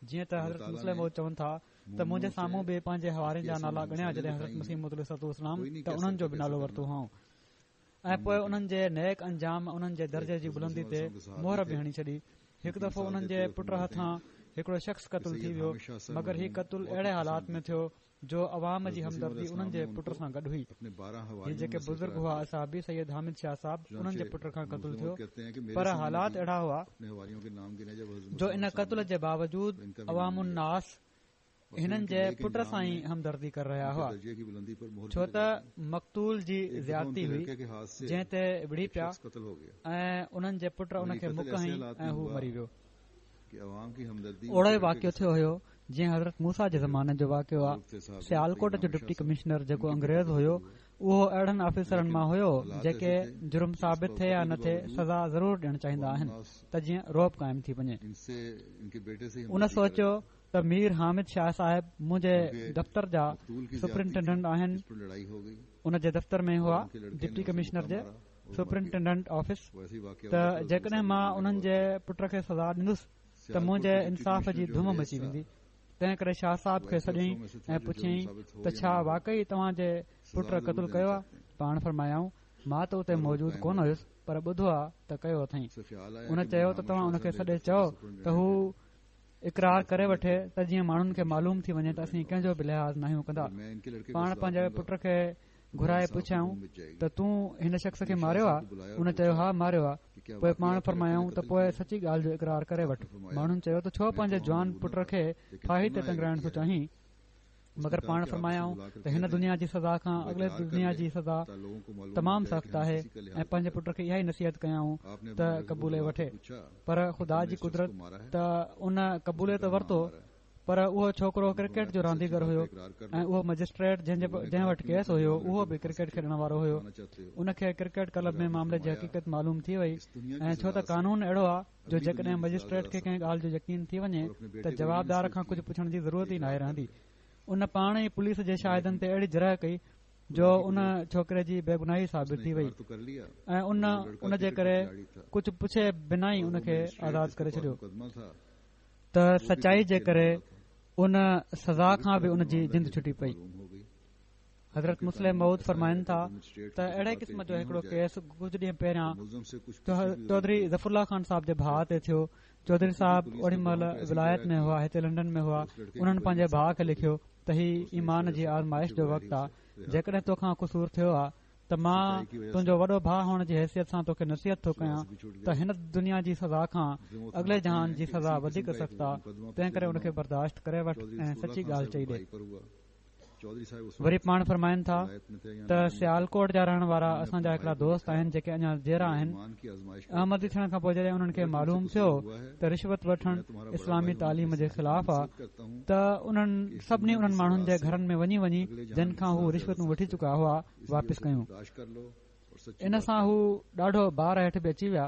جيئن ته حضرت مصلح موعود چون ٿا ته منهنجي سامهون به پنهنجي حوارين جا نالا ڳڻيا جڏهن حضرت مسيح موعود عليه الصلوة والسلام ته انهن جو به نالو ورتو هئائون ۽ پوء انهن جي نيڪ انجام انهن جي درجي جي بلندي تي مهر به هڻي ڇڏي. هڪ دفعو انهن جي پٽ هٿان هڪڙو شخص قتل ٿي ويو مگر هي قتل اهڙي حالات ۾ ٿيو جو عوام جي همدردي انهن جي پٽ سان گڏ هئي. هي جيڪي بزرگ هئا اصحابي سيد حامد شاهه صاحب انهن جي پٽ کان قتل ٿيو پر حالات اهڙا هئا جو ان قتل جي باوجود عوام الناس هنن جي پٽ سان ئي همدردي ڪري رهيا هئا ڇو ته مقتول جي زيادتي هئي جنهن تي وڙهي پيا ۽ انهن جي پٽ ان کي مڪ هنئي ۽ هو مري ويو. اهڙو ئي واقعو ٿيو هيو جيئن حضرت موسيٰ جي زماني جو واقعو آ سيالڪوٽ جو ڊپٽي ڪمشنر جيڪو انگريز هيو اهو اهڙن آفيسرن مان هيو جيڪي جرم ثابت ٿئي يا نه ٿئي سزا ضرور ڏيڻ چاهيندا آهن ته جيئن رعب قائم ٿي وڃي ان سوچيو ته مير حامد شاهه صاحب منهنجي دفتر جا سپرنٽينڊنٽ آهن ان جي دفتر ۾ هئا ڊپٽي ڪمشنر جي سپرنٽينڊنٽ آفيس ته جيڪڏهن مان انهن جي پٽ کي سزا ڏيندس ته منهنجي انصاف جي ڌم مچي ويندي تنهن ڪري شاهه صاحب کي سڏيائين ۽ پڇيائين ته ڇا واقعي توهان جي پٽ قتل ڪيو آهي پاڻ فرمايائون مان ته اتي موجود ڪونه هيس پر ٻڌو آ ته ڪيو اٿائين ان چيو ته توهان ان کي سڏي چئو ته هو اقرار ڪري وٺي ته جيئن ماڻهن کي معلوم ٿي وڃي ته اسين ڪنهن جو به لحاظ ناهيون ڪندا پاڻ پنهنجي پٽ کي گهرائي پڇيائون ته تون هن شخص کي ماريو آ؟ ان چيو ها ماريو آ. پوء پاڻ فرمايائون ته پوء سچي ڳالهه جو اقرار ڪري وٺ. ماڻهن چيو ته ڇو پنهنجي جوان پٽ کي ڦاهي تي ٽنگرائڻ ٿو چاهين؟ مگر پاڻ فرمايائون ته هن دنيا جي سزا کان اڳلي دنيا جي سزا تمام سخت آهي ۽ پنهنجي پٽ کي اها ئي نصيحت ڪيائون ته قبولي وٺي پر خدا جي قدرت ته ان قبولي ته ورتو پر اهو ڇوڪرو ڪرڪيٽ جو رانديگر هيو ۽ اهو مئجسٽريٽ جنهن وٽ ڪيس هيو اهو به ڪرڪيٽ کيڏڻ وارو هيو ان کي ڪرڪيٽ ڪلب ۾ معاملي جي حقيقت معلوم ٿي وئي ۽ ڇو ته قانون اهڙو آهي جو جيڪڏهن مئجسٽريٽ کي ڪنهن ڳالهه جو يقين ٿي وڃي ته جوابدار کان ڪجهه پڇڻ جي ضرورت ئي ناهي رهندي ان پاڻ ئي پوليس جي شاهدن تي اهڙي جرح ڪئي جو ان ڇوڪري جي بيگناهي ثابت ٿي وئي ۽ ان ان جي ڪري ڪجهه پڇي بنا ئي ان کي آزاد ڪري ڇڏيو ته سچائي جي ڪري ان سزا کان به ان جي جند ڇٽي پئي. حضرت مصلح موعود فرمائن ٿا ته اهڙي قسم جو هڪڙو ڪيس ڪجهه ڏينهن پهريان چوڌري ظفر الله خان صاحب جي ڀاء تي ٿيو. چوڌري صاحب اوڏي مهل ولايت ۾ هئا هتي لنڊن ۾ هئا انهن پنهنجي ڀاء کي لکيو ته هي ايمان جي آزمائش جو وقت آ جيڪڏهن توکان قصور ٿيو آ ته مان تنهنجو وڏو ڀاء هئڻ جي حيثيت سان توکي نصيحت ٿو ڪيان ته هن دنيا جي سزا کان اڳلي جهان جي سزا وڌيڪ سخت آ تنهن ڪري ان کي برداشت ڪري وٺ ۽ سچي ڳالهه چئي ڏي. وري پاڻ فرمائن ٿا ته سيالڪوٽ جا رهڻ وارا اسان جا هڪڙا دوست آهن جيڪي اڃا جيئرا آهن احمدي ٿيڻ کان پوء جڏهن انهن کي معلوم ٿيو ته رشوت وٺڻ اسلامي تعليم جي خلاف آ ته انهن سڀني انهن ماڻهن جي گهرن ۾ وڃي وڃي جن کان هو رشوتون وٺي چڪا هئا واپس ڪيون ان سان هو ڏاڍو بار هيٺ به اچي ويا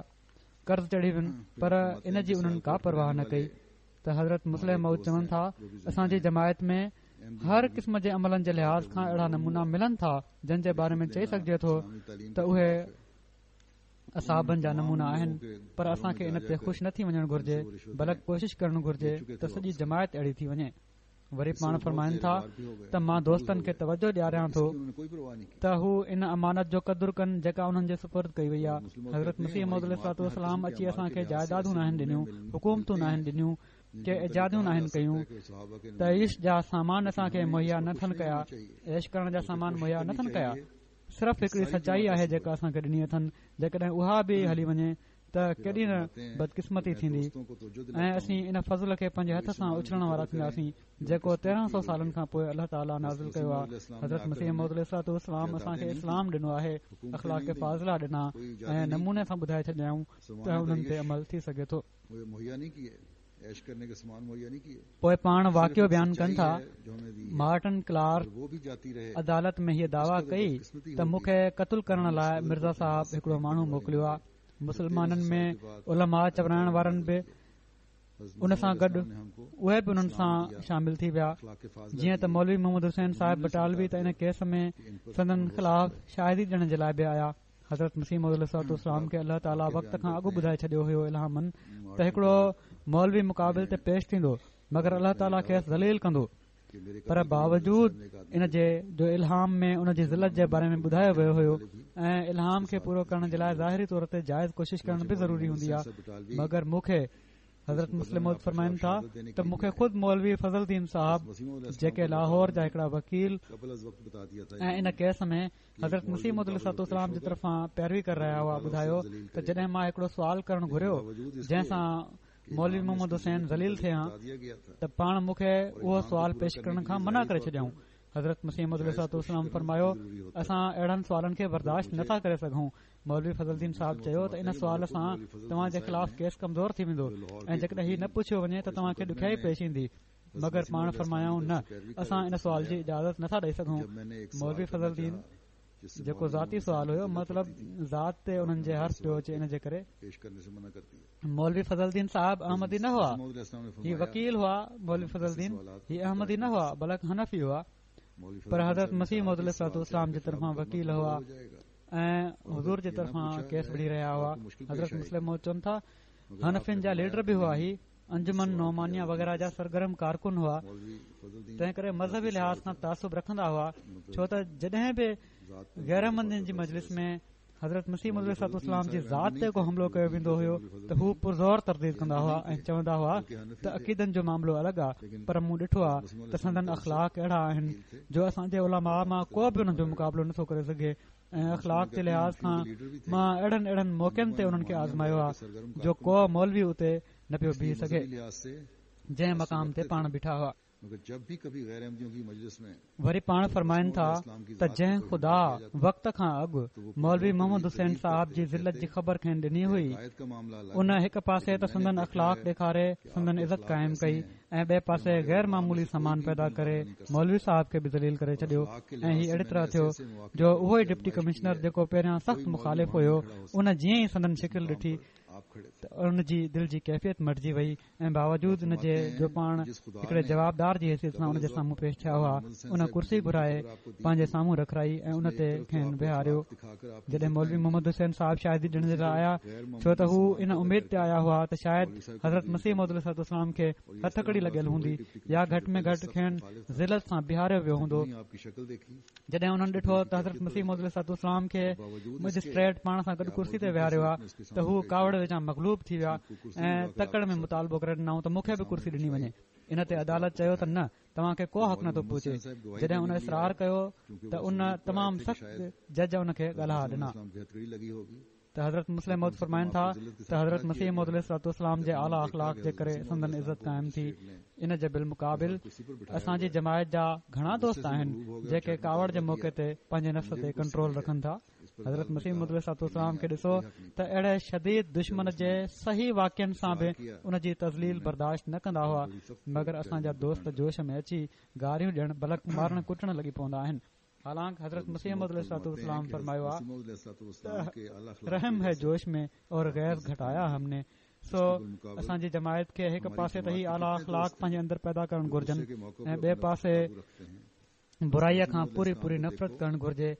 قرض چڙهي وين پر ان جي انهن ڪا پرواهه نه ڪئي ته حضرت مصلح موعود چون ٿا اسان جي جماعت ۾ هر قسم جي عملن جي لحاظ کان اهڙا نمونا ملن ٿا جن جي باري ۾ چئي سگهجي ٿو ته اهي اصحابن جا نمونا آهن پر اسان کي ان تي خوش نه ٿي وڃڻ گهرجي بلڪ ڪوشش ڪرڻ گهرجي ته سڄي جماعت اهڙي ٿي وڃي وري پاڻ فرمائن ٿا ته مان دوستن کي توجه ڏياريان ٿو ته هو ان امانت جو قدر ڪن جيڪا انهن جي سپرد ڪئي وئي آهي حضرت مسيح موعود عليه الصلوة والسلام اچي اسان کي جائدادون ناهن ڏنيون حڪومتون ناهن ڏنيون ڪي ايجادون ناهن ڪيون تعيش جا سامان اسان کي مهيا نٿن ڪيا عيش ڪرڻ جا سامان مهيا نٿن ڪيا صرف هڪڙي سچائي آهي جيڪا اسان کي ڏني اٿن جيڪڏهن اها به هلي وڃي ته ڪيڏي نه بدقسمتي ٿيندي ۽ اسين ان فضل کي پنهنجي هٿ سان اڇلڻ وارا ٿينداسين جيڪو 1300 سالن کان پوء الله تعاليٰ نازل ڪيو آهي حضرت مسيح موعود عليه الصلوة والسلام اسان کي اسلام ڏنو آهي اخلاق فاضله ڏنا ۽ نموني سان ٻڌائي ڇڏيائون ته انهن تي عمل ٿي سگهي ٿو. پوء پاڻ واقعو بيان ڪن ٿا، مارٽن ڪلارڪ عدالت ۾ هيء دعويٰ ڪئي ته مون کي قتل ڪرڻ لاء مرزا صاحب هڪڙو ماڻهو موڪليو آهي. مسلمانن ۾ علماء چورائڻ وارن به ان سان گڏ اهي به انهن سان شامل ٿي ويا. جيئن ته مولوي محمد حسين صاحب بٽالوي ته ان ڪيس ۾ سندن خلاف شاهدي ڏيڻ جي لاء به آيا. حضرت مسيح موعود عليه الصلوة والسلام کي الله تعاليٰ وقت کان اڳ ٻڌائي ڇڏيو هيو الهاماً ته هڪڙو مولوي مقابل تي پيش ٿيندو مگر الله تعاليٰ کيس ذليل ڪندو پر باوجود ان جي جو الهام ۾ ان جي ذلت جي باري ۾ ٻڌايو ويو هيو ۽ الهام کي پورو ڪرڻ جي لاء ظاهري طور تي جائز ڪوشش ڪرڻ به ضروري هوندي آهي مگر مون کي حضرت مصلح موعود فرمائن ٿا ته مون کي خود مولوي فضل دين صاحب جيڪي لاهور جا هڪڙا وڪيل ۽ ان ڪيس ۾ حضرت مسيح موعود عليه الصلوة والسلام جي طرفان پيروي ڪري رهيا هئا ٻڌايو ته جڏهن مان هڪڙو سوال ڪرڻ گهريو جنهن سان مولوي محمد حسين ذليل ٿئي ها ته پاڻ مون کي اهو سوال پيش ڪرڻ کان منع ڪري ڇڏيائون. حضرت مسيح موعود عليه الصلوة والسلام فرمايو اسان اهڙن سوالن کي برداشت نٿا ڪري سگهون. مولوي فضل دين صاحب چيو ته ان سوال سان توهان جي خلاف ڪيس ڪمزور ٿي ويندو ۽ جيڪڏهن هي نه پڇيو وڃي ته توهان کي ڏکيائي پيش ايندي. مگر پاڻ فرمايائون نه اسان ان سوال جي اجازت نٿا ڏئي سگهون مولوي فضل دين جيڪو ذاتي سوال هيو مطلب ذات تي انهن جي حرص پيو اچي ان جي ڪري مولوي فضل دين صاحب احمدي نه هئا هي وڪيل هئا مولوي فضل دين هي احمدي نه هئا بلڪ حنفي هئا پر حضرت مسيح موعود عليه الصلوة والسلام جي طرفان وڪيل هئا ۽ حضور جي طرفان ڪيس وڙهي رهيا هئا حضرت مصلح موعود چون ٿا حنفين جا ليڊر به هئا هي انجمن نعمانيه وغيره جا سرگرم ڪارڪن هئا تنهن ڪري مذهبي لحاظ کان تعصب رکندا هئا ڇو ته جڏهن به غير احمدين جي مجلس ۾ حضرت مسيح موعود عليه الصلوة والسلام جي ذات تي ڪو حملو ڪيو ويندو هيو ته هو پرزور ترديد ڪندا هئا ۽ چوندا هئا ته عقيدن جو معاملو الڳ آ پر مون ڏٺو آ ته سندن اخلاق اهڙا آهن جو اسان جي علماء مان ڪو به انهن جو مقابلو نٿو ڪري سگهي ۽ اخلاق جي لحاظ کان مان اهڙن اهڙن موقعن تي انهن کي آزمايو آ جو ڪو مولوي اتي نه پيو بيهي سگهي جنهن مقام تي پاڻ بيٺا هئا. وري پاڻ فرمائن ٿا ته جنهن خدا وقت کان اڳ مولوي محمد حسين صاحب جي ذلت جي خبر کين ڏني هئي ان هڪ پاسي ته سندن اخلاق ڏيکاري سندن عزت قائم ڪئي ۽ ٻئي پاسي غير معمولي سامان پيدا ڪري مولوي صاحب کي به ذليل ڪري ڇڏيو ۽ هي اهڙي طرح ٿيو جو اهو ئي ڊپٽي ڪمشنر جيڪو پهريان سخت مخالف هيو ان جيئن ئي سندن شڪل ڏٺي ته ان جي دل جي ڪيفيت مٽجي وئي ۽ باوجود ان جي جو پاڻ هڪڙي جوابدار جي حيثيت سان ان جي سامهون پيش ٿيا هئا ان ڪرسي گهرائي پنهنجي سامهون رکرائي ۽ ان تي کين ويهاريو جڏهن مولوي محمد حسين صاحب شاهدي ڏيڻ جي لاء آيا ڇو ته هو ان اميد تي آيا هئا ته شايد حضرت مسيح موعود عليه الصلوة والسلام کي هٿڪڙي لڳل هوندي يا گهٽ ۾ گهٽ کين ذلت سان بيهاريو ويو هوندو جڏهن انهن ڏٺو ته حضرت مسيح موعود عليه الصلوة والسلام کي مئجسٽريٽ پاڻ سان گڏ ڪرسي تي ويهاريو آهي ته هو ڪاوڙ وچان مغلوب ٿي ويا ۽ تڪڙ ۾ مطالبو ڪري ڏنائون ته مون کي به ڪرسي ڏني وڃي ان تي عدالت چيو ته نه توهان کي ڪو حق نٿو پهچي جڏهن ان اصرار ڪيو ته ان تمام سخت جج ان کي ڳالها ڏنا ته حضرت مصلح موعود فرمائن ٿا ته حضرت مسيح موعود عليه الصلوة والسلام جي اعليٰ اخلاق جي ڪري سندن عزت قائم ٿي ان جي بالمقابل اسان جي جماعت جا گهڻا دوست آهن جيڪي ڪاوڙ جي موقعي تي پنهنجي نفس تي ڪنٽرول رکن ٿا حضرت مسيح موعود عليه الصلوة والسلام کي ڏسو ته اهڙي شديد دشمن جي صحيح واقعن سان به ان جي تذليل برداشت نه ڪندا هئا مگر اسان جا دوست جوش ۾ اچي گاريون ڏيڻ بلڪ مارڻ ڪٽڻ لڳي پوندا آهن حالانڪ حضرت مسيح موعود عليه الصلوة والسلام فرمايو آ ته رحم هي جوش ۾ اور غيظ گهٽايا هم ني سو اسان جي جماعت کي هڪ پاسي ته هي اعليٰ اخلاق پنهنجي اندر پيدا ڪرڻ گهرجن ۽ ٻئي پاسي برائي کان پوري پوري نفرت ڪرڻ گهرجي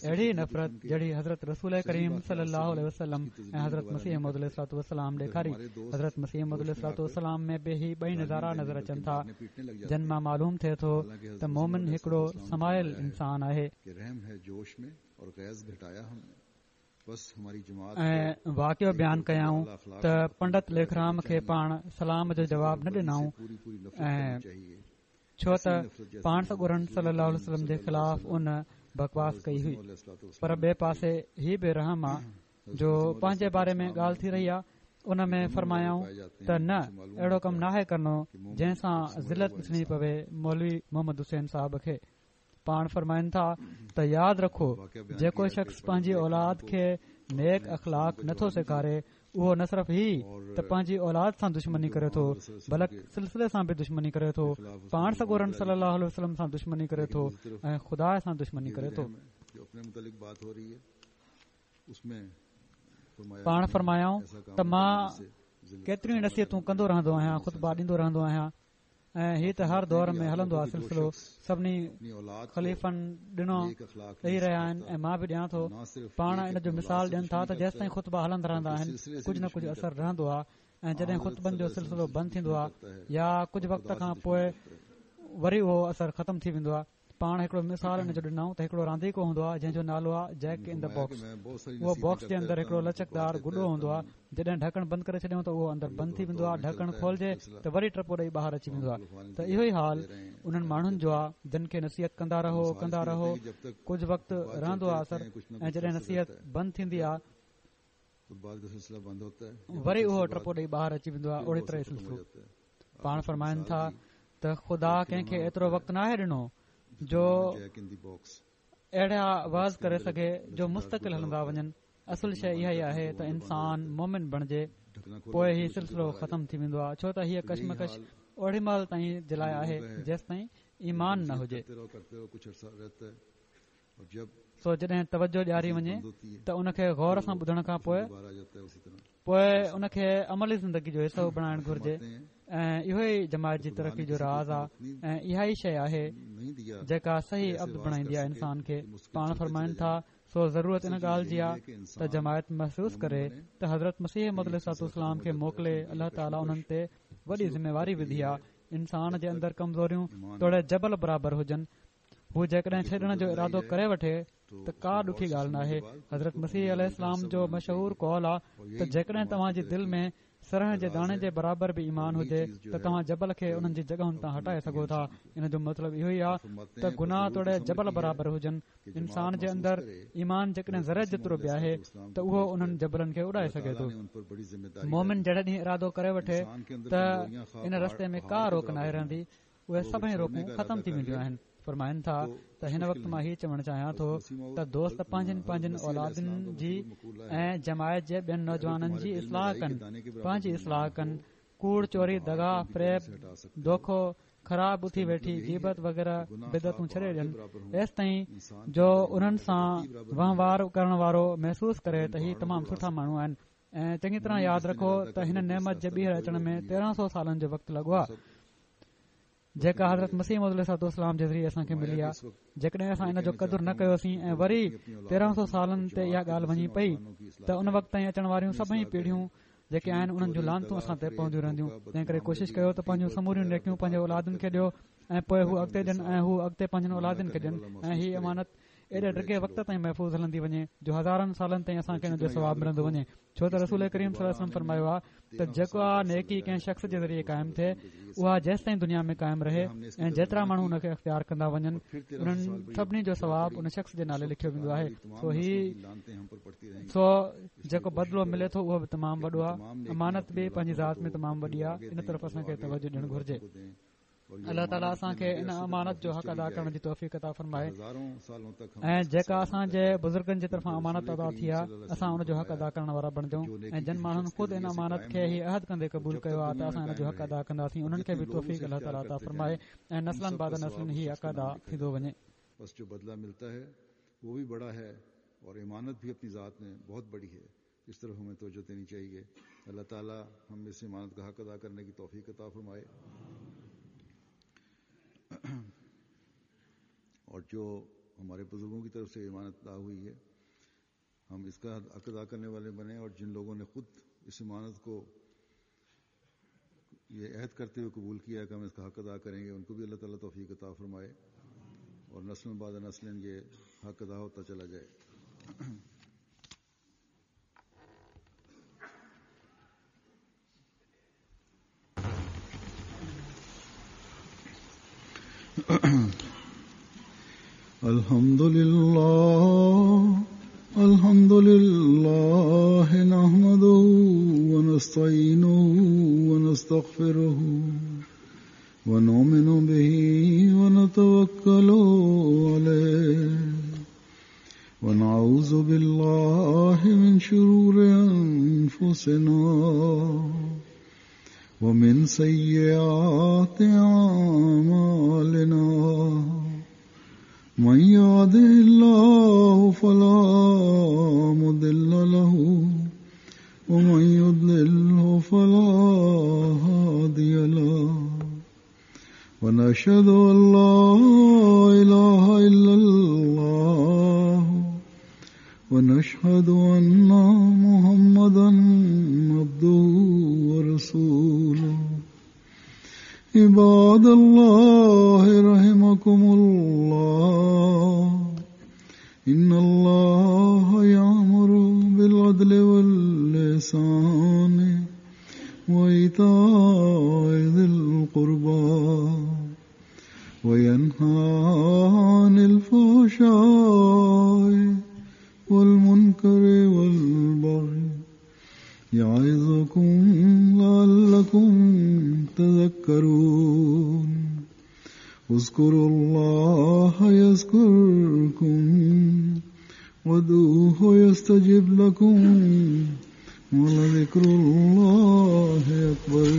اهڙي نفرت جهڙي حضرت رسول ڪريم صلي الله عليه وسلم ۽ حضرت مسيح موعود عليه الصلوة والسلام ڏيکاري. حضرت مسيح موعود عليه الصلوة والسلام ۾ به هي ٻئي نظارا نظر اچن ٿا، جن مان معلوم ٿئي ٿو ته مومن هڪڙو سمايل انسان آهي. ۽ واقعو بيان ڪيائون ته پنڊت ليکرام کي پاڻ سلام جو جواب نه ڏنائون ۽ ڇو ته پاڻ سڳورن صلي الله عليه وسلم جي خلاف ان بڪواس ڪئي هئي پر ٻئي پاسي هي به رحم آ جو پنهنجي باري ۾ ڳالهه ٿي رهي آ ان ۾ فرمايائون ته نه اهڙو ڪم ناهي ڪرڻو جنهن سان ذلت ڏسڻي پوي مولوي محمد حسين صاحب کي پاڻ فرمائن ٿا ته ياد رکو جيڪو شخص پنهنجي اولاد کي نيڪ اخلاق نٿو سيکاري اهو نه صرف هي ته پنهنجي اولاد سان دشمني ڪري ٿو بلڪ سلسلي سان به دشمني ڪري ٿو، پاڻ سڳورن صلي الله عليه وسلم سان دشمني ڪري ٿو ۽ خدا سان دشمني ڪري ٿو. پاڻ فرمايائون ته مان ڪيتريون ئي نصيحتون ڪندو رهندو آهيان، خطبا ڏيندو رهندو آهيان ۽ هي ته هر دور ۾ هلندو آهي سلسلو سڀني خليفن ڏنو ڏئي رهيا آهن ۽ مان به ڏيان ٿو پاڻ ان جو مثال ڏين ٿا ته جيستائين خطبا هلندا رهندا آهن ڪجهه نه ڪجهه اثر رهندو آهي ۽ جڏهن خطبن جو سلسلو بند ٿيندو آهي يا ڪجهه وقت کان پوء وري اهو اثر ختم ٿي ويندو آهي پاڻ هڪڙو مثال ان جو ڏنائون ته هڪڙو رانديڪو هوندو آهي جنهن جو نالو آهي جيڪ ان the box اهو باڪس جي اندر هڪڙو لچڪدار گڏو هوندو آهي جڏهن ڍڪڻ بند ڪري ڇڏيون ته اهو اندر بند ٿي ويندو آهي ڍڪڻ کولجي ته وري ٽپو ڏئي ٻاهر اچي ويندو آهي ته اهو ئي حال انهن ماڻهن جو آهي جن کي نصيحت ڪندا رهو ڪندا رهو ڪجهه وقت رهندو آهي اثر ۽ جڏهن نصيحت بند ٿيندي آهي وري اهو ٽپو ڏئي ٻاهر اچي ويندو آهي اهڙي طرح سلسلو پاڻ فرمائن ٿا ته خدا ڪنهن کي ايترو وقت ناهي ڏنو جو اهڙا وعظ ڪري سگهي جو مستقل هلندا وڃن اصل شيء اها ئي آهي ته انسان مومن بڻجي پوء هي سلسلو ختم ٿي ويندو آهي ڇو ته هيء ڪشمڪش اوڏي مهل تائين جي لاء آهي جيستائين ايمان نه هجي سو جڏهن توجه ڏياري وڃي ته ان کي غور سان ٻڌڻ کان پوء پوء ان کي عملي زندگي جو حصو بڻائڻ گهرجي ۽ اهو ئي جماعت جي ترقي جو راز آهي ۽ اها ئي شيء آهي جيڪا صحيح عبد بڻائيندي آهي انسان کي پاڻ فرمائن ٿا سو ضرورت ان ڳالهه جي آهي ته جماعت محسوس ڪري ته حضرت مسيح موعود عليه الصلوة والسلام کي موڪلي الله تعاليٰ انهن تي وڏي ذميواري وڌي آهي انسان جي اندر ڪمزوريون توڙي جبل برابر هجن هو جيڪڏهن ڇڏڻ جو ارادو ڪري وٺي ته ڪا ڏکي ڳالهه ناهي حضرت مسيح عليه السلام جو مشهور قول آ ته جيڪڏهن توهان جي دل ۾ سرهن جي داڻي جي برابر به ايمان هجي ته توهان جبل کي انهن جي جڳهن تان هٽائي سگهو ٿا ان جو مطلب اهو ئي آ ته گناهه توڙي جبل برابر هجن انسان جي اندر ايمان جيڪڏهن ذري جيترو به آهي ته اهو انهن جبلن کي اڏائي سگهي ٿو مومن جهڙي ڏينهن ارادو ڪري وٺي ته ان رستي ۾ ڪا روڪ ناهي رهندي اهي سڀئي روڪون ختم ٿي وينديون آهن. فرمائن ٿا ته هن وقت مان هي چوڻ چاهيان ٿو ته دوست پنهنجين پنهنجين اولادن جي ۽ جماعت جي ٻين نوجوانن جي اصلاح ڪن، پنهنجي اصلاح ڪن، ڪوڙ، چوري، دغا، فريب، دوکو، خراب اٿي ويٺي، غيبت وغيره بدعتون ڇڏي ڏين، ايستائين جو انهن سان وهنوار ڪرڻ وارو محسوس ڪري ته هي تمام سٺا ماڻهو آهن ۽ چڱي طرح ياد رکو ته هن نعمت جي ٻيهر اچڻ ۾ 1300 سالن جو وقت لڳو آهي جيڪا حضرت مسيح موعود عليه الصلوة والسلام جي ذريعي اسان کي ملي آهي جيڪڏهن اسان ان جو قدر نه ڪيوسين ۽ وري 1300 سالن تي اها ڳالهه وڃي پئي ته ان وقت تائين اچڻ واريون سڀئي پيڙهيون جيڪي آهن انهن جون لعنتون اسان تي پونديون رهنديون تنهن ڪري ڪوشش ڪيو ته پنهنجون سموريون نيڪيون پنهنجي اولادن کي ڏيو ۽ پوء هو اڳتي ڏين ۽ هو اڳتي پنهنجن اولادن کي ڏين ۽ هي امانت ايڏي ڊگهي وقت تائين محفوظ هلندي وڃي جو هزارن سالن تائين اسان کي ان جو ثواب ملندو وڃي ڇو ته رسول ڪريم صلي الله عليه وسلم فرمايو آهي ته جيڪا نيڪي ڪنهن شخص جي ذريعي قائم ٿئي اها جيستائين دنيا ۾ قائم رهي ۽ جيترا ماڻهو ان کي اختيار ڪندا وڃن انهن سڀني جو ثواب ان شخص جي نالي لکيو ويندو آهي سو هي سو جيڪو بدلو ملي ٿو اهو به تمام وڏو آهي امانت به پنهنجي ذات ۾ تمام وڏي آهي ان طرف اسان کي توجه ڏيڻ گهرجي الله تعاليٰ اسان کي ان امانت جو حق ادا ڪرڻ جي توفيق عطا فرمائي ۽ جيڪا اسان جي بزرگن جي طرفان امانت ادا ٿي آهي اسان ان جو حق ادا ڪرڻ وارا بڻجون ۽ جن ماڻهن خود ان امانت کي هي عهد ڪندي قبول ڪيو آهي ته اسان ان جو حق ادا ڪنداسين انهن کي به توفيق الله تعاليٰ عطا فرمائي ۽ نسلن بعد نسلن هي حق ادا ٿيندو وڃي. بس جو بدله ملتا هي وو ڀي بڙا هي اور امانت ڀي اپني ذات ۾ بهت بڙي هي اس طرف همين توجه ديني چاهيي الله تعالي هم اس امانت کا حق ادا ڪرني ڪي توفيق عطا فرمائي اور جو هماري بزرگون ڪي طرف سي امانت ادا هوئي هي هم اس کا حق ادا ڪرني والي بني اور جن لوگون ني خود اس امانت ڪو يه عهد ڪرتي هوئي قبول ڪيا هي ڪه هم اس کا حق ادا ڪرين گي ان ڪو ڀي الله تعالي توفيق عطا فرمائي اور نسل بعد نسل يه حق ادا هوتا چلا جائي. الحمد لله الحمد لله نحمده ونستعينه ونستغفره ونؤمن به ونتوكل عليه ونعوذ بالله من شرور أنفسنا أنفسنا ومن سيئات أعمالنا من يهده الله فلا مضل له ومن يضلله فلا هادي له ونشهد أن لا إله إلا الله ونشهد أن محمدا عبده ورسوله. عباد الله رحمكم الله، إن الله يأمر بالعدل والإحسان وإيتاء ذي القربى وينهى عن الفحشاء والمنكر والبغي يعظكم لعلكم تذكرون. اذكروا الله يذكركم وادعوه يستجب لكم ولذكر الله أكبر.